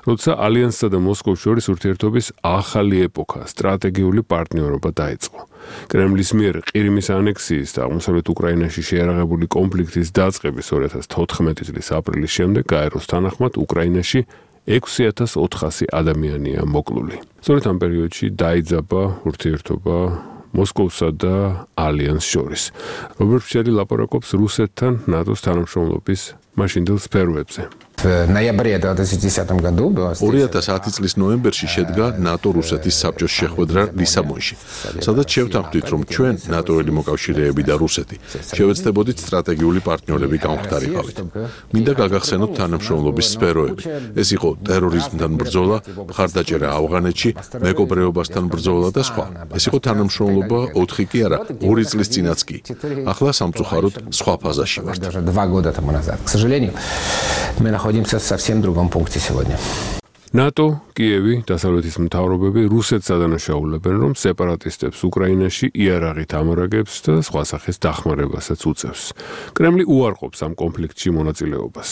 როცა ალიანსსა და მოსკოვს შორის ურთიერთობის ახალი ეპოქა, სტრატეგიული პარტნიორობა დაიწყო. კრემლის მიერ ყირიმის ანექსიის და აღმოსავლეთ უკრაინაში შეიარაღებული კონფლიქტის დაწყების 2014 წლის აპრილის შემდეგ გაეროს თანახმად უკრაინაში 6400 ადამიანია მოკლული. სწორედ ამ პერიოდში დაიძაბა ურთიერთობა მოსკოვსა და ალიანს შორის. რობერტ ფშელი ლაპარაკობს რუსეთთან ნატოს თანამშრომლობის მაშინდელ სფეროებზე. В ноябре 2010 году было 2010 წლის ნოემბერში შედგა ნატო-რუსეთის საბჭოს შეხვედრა ლისაბონში, სადაც შევთანხმდით, რომ ჩვენ ნატოელი მოკავშირეები და რუსეთი შევეცდებოდით სტრატეგიული პარტნიორები გამختارიყავით. მინდა გაგახსენოთ თანამშრომლობის სფეროები. ეს იყო ტერორიზმთან ბრძოლა, მხარდაჭერა ავღანეთში, მეკობრეობასთან ბრძოლა და სხვა. ეს იყო თანამშრომლობა 4 კი არა, 2 წლის წინაც კი. ახლა სამწუხაროდ სხვა ფაზაში ვართ. 2 года тому назад. К сожалению, мы находимся в совсем другом пункте сегодня. ნატო, კიევი, დასავლეთის მთავრობები რუსეთს ადანაშაულებენ, რომ სეპარატისტებს უკრაინაში იარაღით ამარაგებს და სხვა სახის დახმარებასაც უწევს. კრემლი უარყოფს ამ კონფლიქტში მონაწილეობას.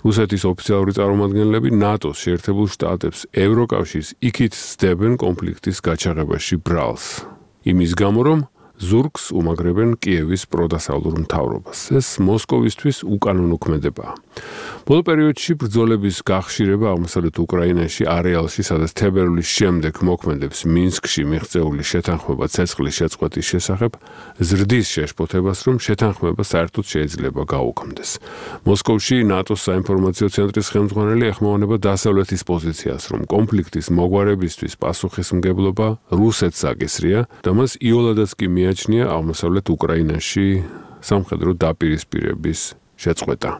რუსეთის ოფიციალური წარმომადგენლები ნატოს შეერთებულ შტატებს, ევროკავშირს იქით სდებენ კონფლიქტის გაჩაღებაში ბრალს. იმის გამო, რომ ზურგს უმაგრებენ კიევის პროდასავლურ მთავრობას. ეს მოსკოვისთვის უკანონო ქმედებაა. ბოლო პერიოდში ბრძოლების გახშირება აღმოსავლეთ უკრაინაში არეალში, სადაც თებერვლის შემდეგ მოქმედებს მინსკში მიღწეული შეთანხმება ცეცხლის შეწყვეტის შესახებ, ზრდის შეშფოთებას, რომ შეთანხმება საერთოდ შეიძლება გაუქმდეს. მოსკოვში ნატოს საინფორმაციო ცენტრის ხელმძღვანელი ეხმოვანება დასავლეთის პოზიციას, რომ კონფლიქტის მოგვარებისთვის პასუხისმგებლობა რუსეთს აკისრია და მას იოლადაც კი მიაჩნია აღმოსავლეთ უკრაინაში სამხედრო დაპირისპირების შეწყვეტა.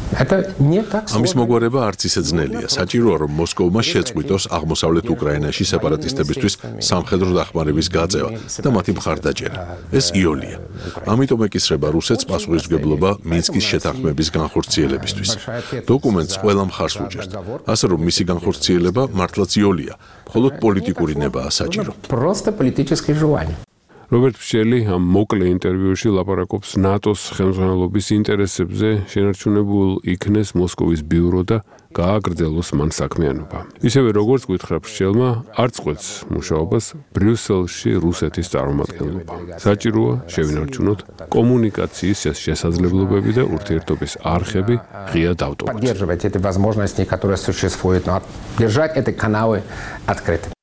ამის მოგვარება არც ისე ძნელია. საჭიროა, რომ მოსკოვმა შეწყვიტოს აღმოსავლეთ უკრაინაში სეპარატისტებისთვის სამხედრო დახმარების გაწევა და მათი მხარდაჭერა. ეს იოლია. ამიტომ ეკისრება რუსეთს პასუხისმგებლობა მინსკის შეთანხმების განხორციელებისთვის. დოკუმენტს ყველა მხარს უჭერთ. ასე რომ მისი განხორციელება მართლაც იოლია, მხოლოდ პოლიტიკური ნებაა საჭირო. Просто политическое желание. რობერტ ფშელი ამ მოკლე ინტერვიუში ლაპარაკობს ნატოს ხელმძღვანელობის ინტერესებზე, შენარჩუნებულ იქნეს მოსკოვის ბიურო და გააგრძელოს მან საქმიანობა. ისევე როგორც გითხრა ფშელმა, არ წყვეტს მუშაობას ბრიუსელში რუსეთის წარმომადგენლობა. საჭიროა შევინარჩუნოთ კომუნიკაციის შესაძლებლობები და ურთიერთობის არხები ღია დავტოვოთ. Поддерживать эти возможности, которые существуют, но держать эти каналы открытыми.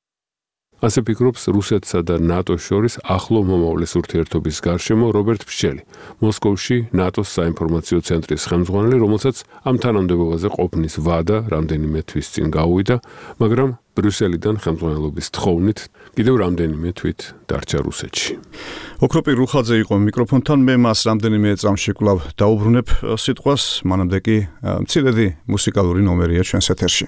ასე ფიქრობს რუსეთსა და ნატოს შორის ახლო მომავლის ურთიერთობის გარშემო რობერტ ფშელი, მოსკოვში ნატოს საინფორმაციო ცენტრის ხელმძღვანელი, რომელსაც ამ თანამდებობაზე ყოფნის ვადა რამდენიმე თვის წინ გაუვიდა, მაგრამ ბრიუსელიდან ხელმძღვანელობის თხოვნით კიდევ რამდენიმე თვით დარჩა რუსეთში. ოქროპირ რუხაძე იყო მიკროფონთან, მე მას რამდენიმე წამში კვლავ დაუბრუნებ სიტყვას, მანამდე კი მცირედი მუსიკალური ნომერია ჩვენს ეთერში.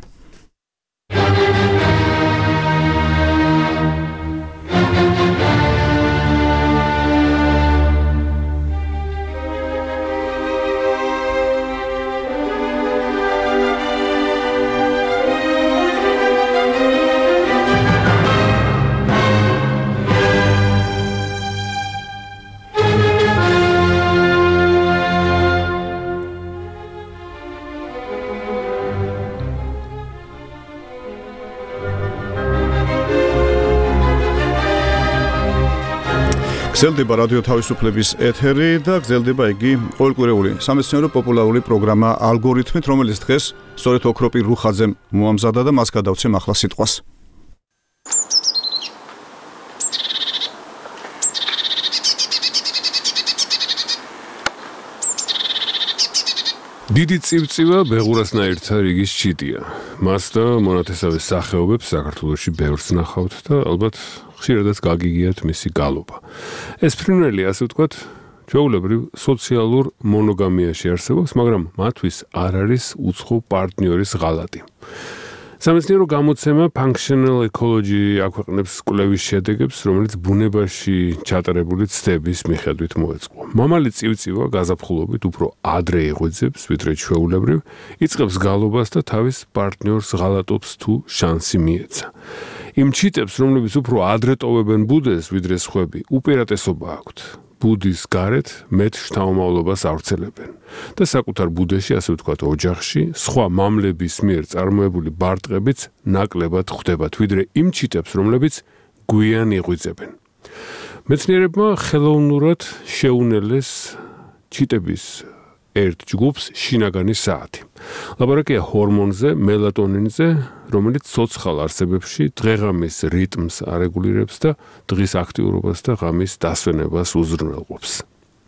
გრძელდება რადიო თავისუფლების ეთერი და გრძელდება იგი ყოველკვირეული სამეცნიერო პოპულარული პროგრამა ალგორითმით, რომელიც დღეს სწორედ ოქროპირ რუხაძემ მოამზადა და მას გადავცემ ახლა სიტყვას. დიდი წივწივა ბეღურასნაირთა რიგის ჩიტია. მას და მონათესავეს სახეობებს საქართველოში ბევრს ნახავთ და ალბათ ხშირადაც გაგიგიათ მისი გალობა. ეს ფრინველი, ასე ვთქვათ, ჩვეულებრივ სოციალურ მონოგამიაში არსებობს, მაგრამ მათთვის არ არის უცხო პარტნიორის ღალატი. სამეცნიერო გამოცემა Functional Ecology აქვეყნებს კვლევის შედეგებს, რომელიც ბუნებაში ჩატარებული ცდების მიხედვით მოეწყო. მამალი წივწივა გაზაფხულობით უფრო ადრე იღვიძებს, ვიდრე ჩვეულებრივ, იწყებს გალობას და თავის პარტნიორს ღალატობს თუ შანსი მიეცა. იმ ჩიტებს, რომლებიც უფრო ადრე ტოვებენ ბუდეს, ვიდრე სხვები, უპირატესობა აქვთ. ბუდის გარეთ მეტ შთამომავლობას ავრცელებენ და საკუთარ ბუდეში, ასე ვთქვათ, ოჯახში, სხვა მამლების მიერ წარმოებული ბარტყებიც ნაკლებად ხვდებათ, ვიდრე იმ ჩიტებს, რომლებიც გვიან იღვიძებენ. მეცნიერებმა ხელოვნურად შეუნელეს ჩიტების ერთ ჯგუფს შინაგანი საათი. ლაბორატორია ჰორმონზე, მელატონინზე, რომელიც ცოცხალ არსებებში დღეღამის რიტმს არეგულირებს და დღის აქტიურობას და ღამის დასვენებას უზრუნველყოფს.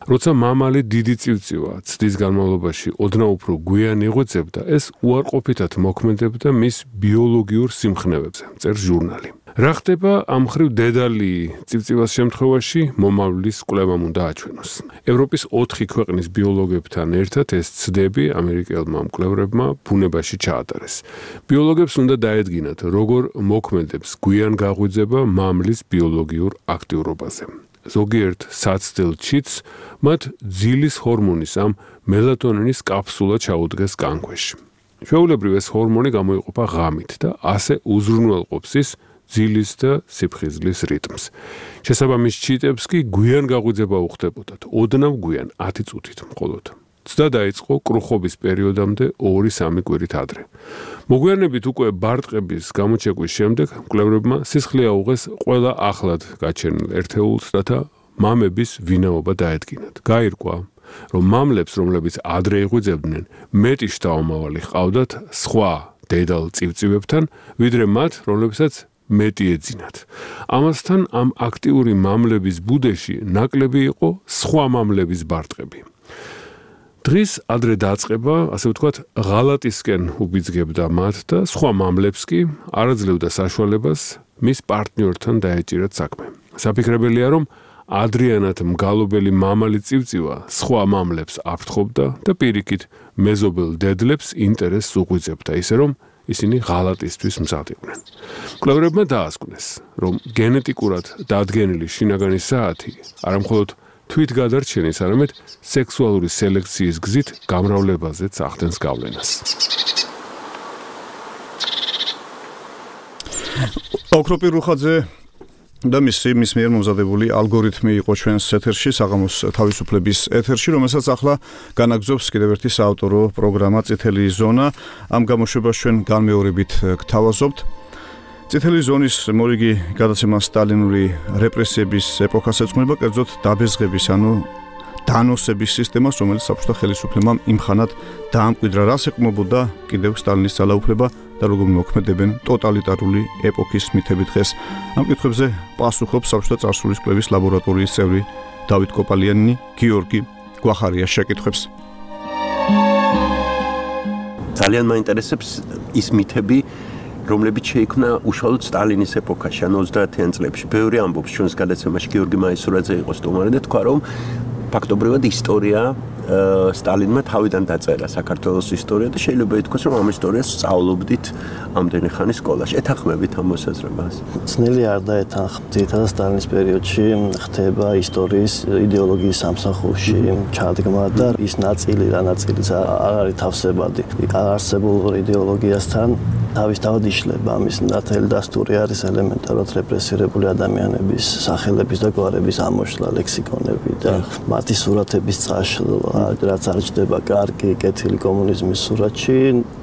როცა მამალი დიდი წივწივა ცდის განმავლობაში ოდნავ უფრო გვიან იღვიძებდა, ეს უარყოფითად მოქმედებდა მის ბიოლოგიურ სიმხნევებზე, წერს ჟურნალი. რა ხდება ამ მხრივ დედალი წივწივას შემთხვევაში მომავლის კვლევამ უნდა აჩვენოს. ევროპის 4 ქვეყნის ბიოლოგებთან ერთად ეს ცდები ამერიკელმა მკვლევრებმა ბუნებაში ჩაატარეს. ბიოლოგებს უნდა დაედგინათ, როგორ მოქმედებს გვიან გაღვიძება მამლის ბიოლოგიურ აქტიურობაზე. ზოგიერთ საცდელ ჩიტს მათ ძილის ჰორმონის ამ მელატონინის კაფსულა ჩაუდგეს განქვეში. ჩვეულებრივ ეს ჰორმონი გამოიყოფა ღამით და ასე უზრუნველყოფს ის ძილის და სიფხიზლის რიტმს. შესაბამის ჩიტებს კი გვიან გაღვიძება უხდებოდათ, ოდნავ გვიან 10 წუთით მხოლოდ. ცდა დაიწყო კრუხობის პერიოდამდე 2-3 კვირით ადრე. მოგვიანებით უკვე ბარტყების გამოჩეკვის შემდეგ მკვლევრებმა სისხლი აუღეს ყველა ახლად გაჩენილ ერთეულს, რათა მამების ვინაობა დაედგინათ. გაირკვა, რომ მამლებს, რომლებიც ადრე იღვიძებდნენ, მეტი შთამომავალი ჰყავდათ სხვა დედალ წივწივებთან, ვიდრე მათ, რომლებსაც მეტი ეძინათ. ამასთან ამ აქტიური მამლების ბუდეში ნაკლები იყო სხვა მამლების ბარტყები. დღის ადრე დაწყება, ასე ვთქვათ, ღალატისკენ უბიძგებდა მათ და სხვა მამლებს კი არაძლევდა საშუალებას მის პარტნიორთან დაეჭირათ საქმე. საფიქრებელია, რომ ადრიანად მგალობელი მამალი წივწივა სხვა მამლებს აფრთხობდა და პირიქით მეზობელ დედლებს ინტერესს უღვიძებდა, ისე რომ ისინი ღალატისთვის მზად იყვნენ. მკვლევრებმა დაასკვნეს, რომ გენეტიკურად დადგენილი შინაგანი საათი არამხოლოდ თვითგადარჩენის, არამედ სექსუალური სელექციის გზით გამრავლებაზეც ახდენს გავლენას. ოქროპირ რუხაძე და მის მიერ მომზადებული ალგორითმი იყო ჩვენს ეთერში, საღამოს თავისუფლების ეთერში, რომელსაც ახლა განაგზობს კიდევ ერთი საავტორო პროგრამა წითელი ზონა. ამ გამოშვებას ჩვენ განმეორებით გთავაზობთ. წითელი ზონის მორიგი გადაცემა სტალინური რეპრესიების ეპოქას ეძღვნება, კერძოდ დაბეზღების, ანუ დანოსების სისტემას, რომელიც საბჭოთა ხელისუფლებამ იმხანად დაამკვიდრა, რას ეკმობოდა კიდევ სტალინის ძალაუფლება და როგორ მოქმედებენ ტოტალიტარული ეპოქის მითები დღეს. ამ კითხვებზე პასუხობს საბჭოთა წარსულის კვლევის ლაბორატორიის წევრი დავით კოპალიანი, გიორგი გვახარიას შეკითხვებს. ძალიან მაინტერესებს ის მითები, რომლებიც შეიქმნა უშუალოდ სტალინის ეპოქაში, ანუ 30-იან წლებში. ბევრი ამბობს ჩვენს გადაცემაში, გიორგი მაისურაძე იყო სტუმარი და თქვა, რომ ფაქტობრივად ისტორია სტალინმა თავიდან დაწერა საქართველოს ისტორია და შეიძლება ითქვას, რომ ამ ისტორიას სწავლობდით ამდენი ხანი სკოლაში. ეთანხმებით ამ მოსაზრებას? ძნელი არ დაეთანხმ. ძირითადად სტალინის პერიოდში ხდება ისტორიის იდეოლოგიის სამსახურში ჩადგმა და ის ნაწილი არ არის თავსებადი. არსებულ იდეოლოგიასთან თავისთავად იშლება. ამის ნათელი დასტური არის ელემენტარულად რეპრესირებული ადამიანების სახელების და გვარების ამოშლა, ლექსიკონები და მათი სურათების წაშლა, რაც არ ჩდება კარგი, კეთილი კომუნიზმის სურათში,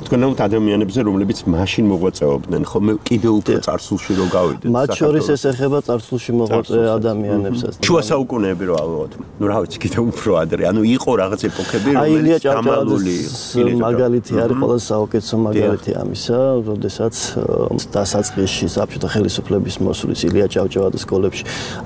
თქვენ ნაუთ ადამიანებზე, რომლებიც მაშინ მოღვაწეობდნენ, ხომ კიდევ უფრო წარსულში რო გავიდეთ. მათ შორის ეს ეხება წარსულში მოღვაწე ადამიანებსაც. შუა საუკუნეები რო ავიღოთ. ნუ რა ვიცი, კიდევ უფრო ადრე. ანუ იყო რაღაც ეპოქები, რომელიც გამალული მაგალითი არის ყველა საუკეთესო მაგალითი ამისა, როდესაც დასაწყისში საბჭოთა ხელისუფლების მოსulis ილია ჭავჭავაძის სკოლებში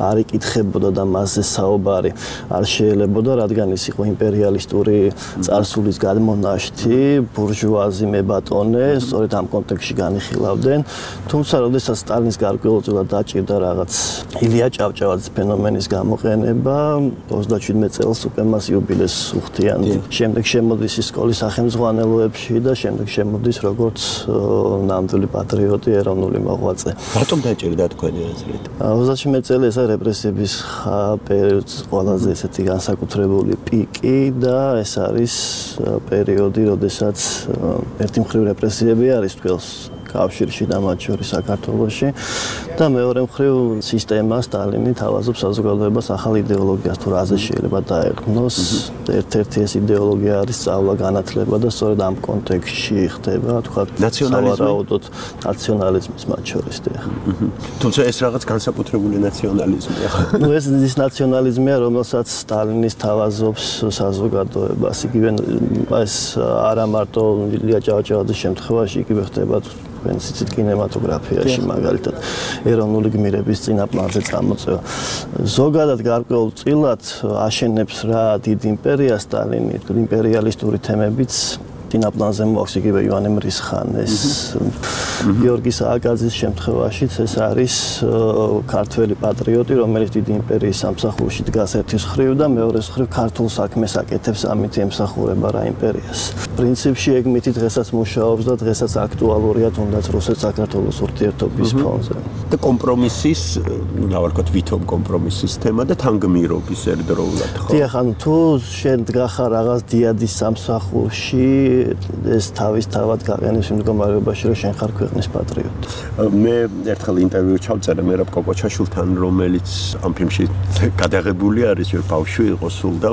არ იკითხებოდა და მასზე საუბარი არ შეელებოდა, რადგან ის იყო იმპერიალისტური წარსულის გადმონაშთი, ბურჟუაზი მებატონე, სწორედ ამ კონტექსტში განიხილავდნენ. თუმცა, როდესაც სტალინის გარკვეულწილად დაჭირდა რაღაც ილია ჭავჭავაძის ფენომენის გამოყენება, 37 წელს უკვე მას იუბილეს უხდიან. შემდეგ შემოდის ის სკოლის სახელმძღვანელოებში და შემდეგ შემოდის როგორც ნამდვილი პატრიოტი, ეროვნული მოღვაწე. რატომ დაჭირდა თქვენი აზრით? 37 წელი ეს არის რეპრესიების პერიოდის ყველაზე ესეთი განსაკუთრებული პიკი და ეს არის პერიოდი, როდესაც ერთი მხრივ რეპრესიები არის თქოს კავშირში და მათ შორის საქართველოში და მეორე მხრივ სისტემა სტალინი თავაზობს საზოგადოებას ახალ იდეოლოგიას თუ რაზე შეიძლება დაეყრდნოს. ერთ-ერთი ეს იდეოლოგია არის სწავლა, განათლება და სწორედ ამ კონტექსტში ხდება, თქვა, სავარაუდოდ ნაციონალიზმის მათ შორის და თუმცა ეს რაღაც განსაკუთრებული ნაციონალიზმია. ნუ ეს ის ნაციონალიზმია, რომელსაც სტალინის თავაზობს საზოგადოებას. იგივე ეს არა მარტო ილია ჭავჭავაძის შემთხვევაში, იგივე ხდება თქვენ ცით კინემატოგრაფიაში მაგალითად ეროვნული გმირების წინაპლანზე წამოწევა. ზოგადად გარკვეულწილად აშენებს რა დიდ იმპერიას სტალინი, იმპერიალისტური თემებიც წინაპლანზე მოაქვს იგივე ივანე მრისხანეს, გიორგი სააკაძის შემთხვევაშიც ეს არის ქართველი პატრიოტი, რომელიც დიდი იმპერიის სამსახურში დგას ერთის მხრივ და მეორეს მხრივ ქართულ საქმეს აკეთებს, ამით ემსახურება რა იმპერიას. პრინციპში ეგ მითი დღესაც მუშაობს და დღესაც აქტუალურია თუნდაც რუსეთ-საქართველოს ურთიერთობის ფონზე. და კომპრომისის, რა ვთქვათ, ვითომ კომპრომისის თემა და თანგმირობის ერთდროულად ხო? დიახ, ანუ თუ შენ დგახარ რაღაც დიადის სამსახურში ეს თავისთავად გაყენებს იმ მდგომარეობაში, რომ შენ ხარ ქვეყნის პატრიოტი. მე ერთხელ ინტერვიუ ჩავწერე მერაბ კოკოჩაშვილთან, რომელიც ამ ფილმში გადაღებული არის, ჯერ ბავშვი იყო სულ და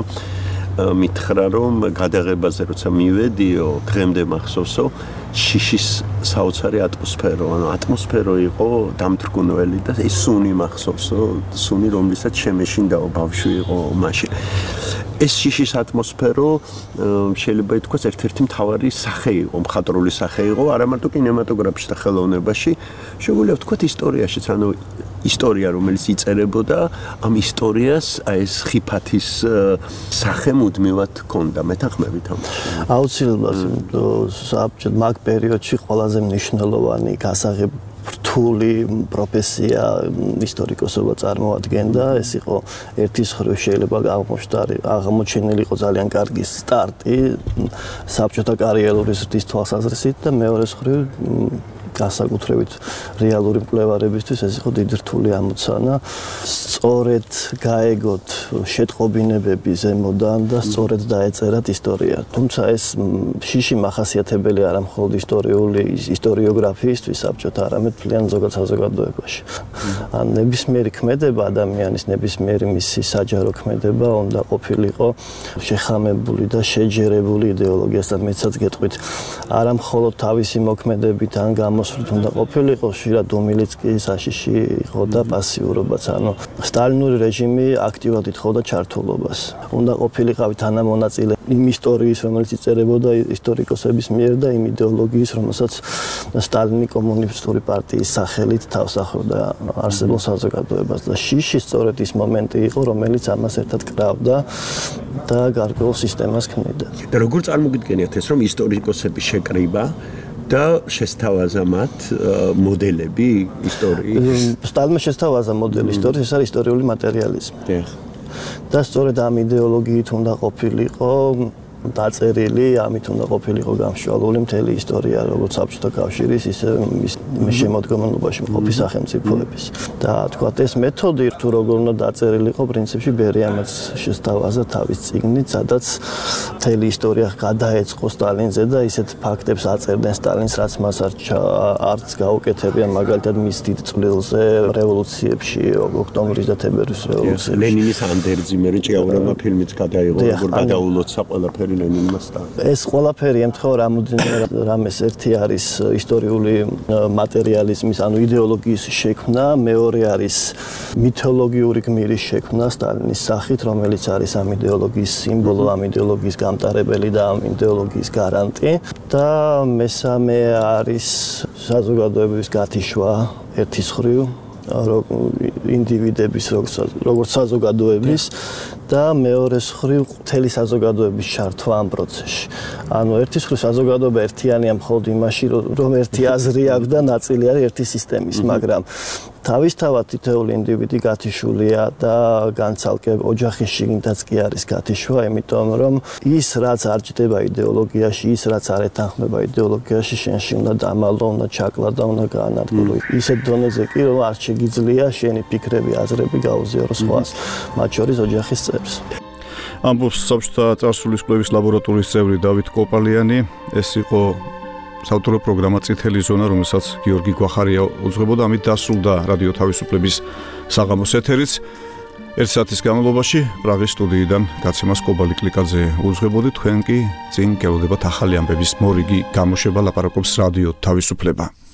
მითხრა, რომ გადაღებაზე როცა მივედიო, დღემდე მახსოვსო, შიშის საოცარი ატმოსფერო, ანუ ატმოსფერო იყო დამთრგუნველი და ეს სუნი მახსოვსო, სუნი რომლითაც შემეშინდაო ბავშვი იყო მაშინ. ეს შიშის ატმოსფერო შეიძლება ითქვას ერთ-ერთი მთავარი სახე იყო, მხატვრული სახე იყო, არა მარტო კინემატოგრაფში და ხელოვნებაში, შეგვიძლია ვთქვათ ისტორიაშიც, ანუ ისტორია, რომელიც იწერებოდა, ამ ისტორიას აი ეს ხიფათის სახე მუდმივად ჰქონდა, მეთანხმებით ამაში. აუცილებლად, საბჭოთა მაგ პერიოდში ყველაზე მნიშვნელოვანი გასაღებ რთული პროფესია ისტორიკოსობა წარმოადგენდა. ეს იყო ერთის მხრივ შეიძლება აღმოჩენილი იყო ძალიან კარგი სტარტი საბჭოთა კარიერული ზრდის თვალსაზრისით და მეორეს მხრივ განსაკუთრებით რეალური მკვლევარებისთვის ეს იყო დიდი რთული ამოცანა. სწორედ გაეგოთ შეტყობინებები ზემოდან და სწორედ დაეწერათ ისტორია. თუმცა ეს შიში მახასიათებელი არა მხოლოდ ისტორიოგრაფიისთვის საბჭოთა, არამედ მთლიან ზოგად საზოგადოებაში. ან ნებისმიერი ქმედება ადამიანის, ნებისმიერი მისი საჯარო ქმედება უნდა ყოფილიყო შეხამებული და შეჯერებული იდეოლოგიასთან. მეცაც გეტყვით, არა მხოლოდ თავისი მოქმედებით ან გამოსვლით უნდა ყოფილიყო, ხშირად უმილიც კი საშიში იყო და პასიურობაც. ანუ სტალინური რეჟიმი აქტიურად ითხოვდა ჩართულობას. უნდა ყოფილიყავი თანამონაწილე იმ ისტორიის, რომელიც იწერებოდა ისტორიკოსების მიერ და იმ იდეოლოგიის, რომელსაც სტალინი კომუნისტური პარტიის სახელით თავს ახლდა არსებულ საზოგადოებას და შიში სწორედ ის მომენტი იყო, რომელიც ამას ერთად კრავდა და გარკვეულ სისტემას ქმნიდა. და როგორ წარმოგიდგენიათ ეს, რომ ისტორიკოსების შეკრიბა და შესთავაზა მათ მოდელები ისტორიის? სტალინმა შესთავაზა მოდელი ისტორიის, ეს არის ისტორიული მატერიალიზმი. და სწორედ ამ იდეოლოგიით უნდა ყოფილიყო დაწერილი, ამით უნდა ყოფილიყო გამშვალული მთელი ისტორია, როგორც საბჭოთა კავშირის, ისე მის შემოდგომობაში მყოფი სახელმწიფოების. და თქვათ, ეს მეთოდი თუ როგორ უნდა დაწერილიყო, პრინციპში ბერიამაც შესთავაზა თავის წიგნით, სადაც მთელი ისტორია გადაეწყო სტალინზე და ისეთ ფაქტებს აწერდნენ სტალინს, რაც მას არც გაუკეთებია, მაგალითად მის დიდ წვლილზე რევოლუციებში, ოქტომბრის და თებერვლის რევოლუციებში. ლენინის ანდერძი მე ჭიაურებმა ფილმიც გადაიღო, როგორ გადაულოცა ყველაფერი. ყველაფერი ლენინმა სტალინმა. ეს ყველაფერი ემთხვევა რამეს ერთი არის ისტორიული მატერიალიზმის, ანუ იდეოლოგიის შექმნა, მეორე არის მითოლოგიური გმირის შექმნა სტალინის სახით, რომელიც არის ამ იდეოლოგიის სიმბოლო, ამ იდეოლოგიის გამტარებელი და ამ იდეოლოგიის გარანტი და მესამე არის საზოგადოების გათიშვა ერთის ხრივ ინდივიდების როგორც საზოგადოების და მეორე მხრივ მთელი საზოგადოების ჩართვა ამ პროცესში. ანუ ერთის მხრივ საზოგადოება ერთიანია მხოლოდ იმაში, რომ ერთი აზრი აქვს და ნაწილი არის ერთი სისტემის, მაგრამ თავისთავად თითოეული ინდივიდი გათიშულია და განცალკე ოჯახის შიგნითაც კი არის გათიშვა, იმიტომ რომ ის რაც არ ჭდება იდეოლოგიაში, ის რაც არ ეთანხმება იდეოლოგიაში, შენში უნდა დამალო, უნდა ჩაკლა და უნდა გაანადგურო. ისეთ დონეზე კი რომ არ შეგიძლია შენი ფიქრები, აზრები გაუზიარო სხვას, მათ შორის ოჯახის წევრს. ამბობს საბჭოთა წარსულის კვლევის ლაბორატორიის წევრი დავით კოპალიანი. ეს იყო საავტორო პროგრამა წითელი ზონა, რომელსაც გიორგი გვახარია უძღვებოდა. ამით დასრულდა რადიო თავისუფლების საღამოს ეთერიც. 1 საათის განმავლობაში პრაღის სტუდიიდან გაცემას კობალი კლიკაძე უძღვებოდი. თქვენ კი წინ გელოდებათ ახალი ამბების მორიგი გამოშვება, ლაპარაკობს რადიო თავისუფლება.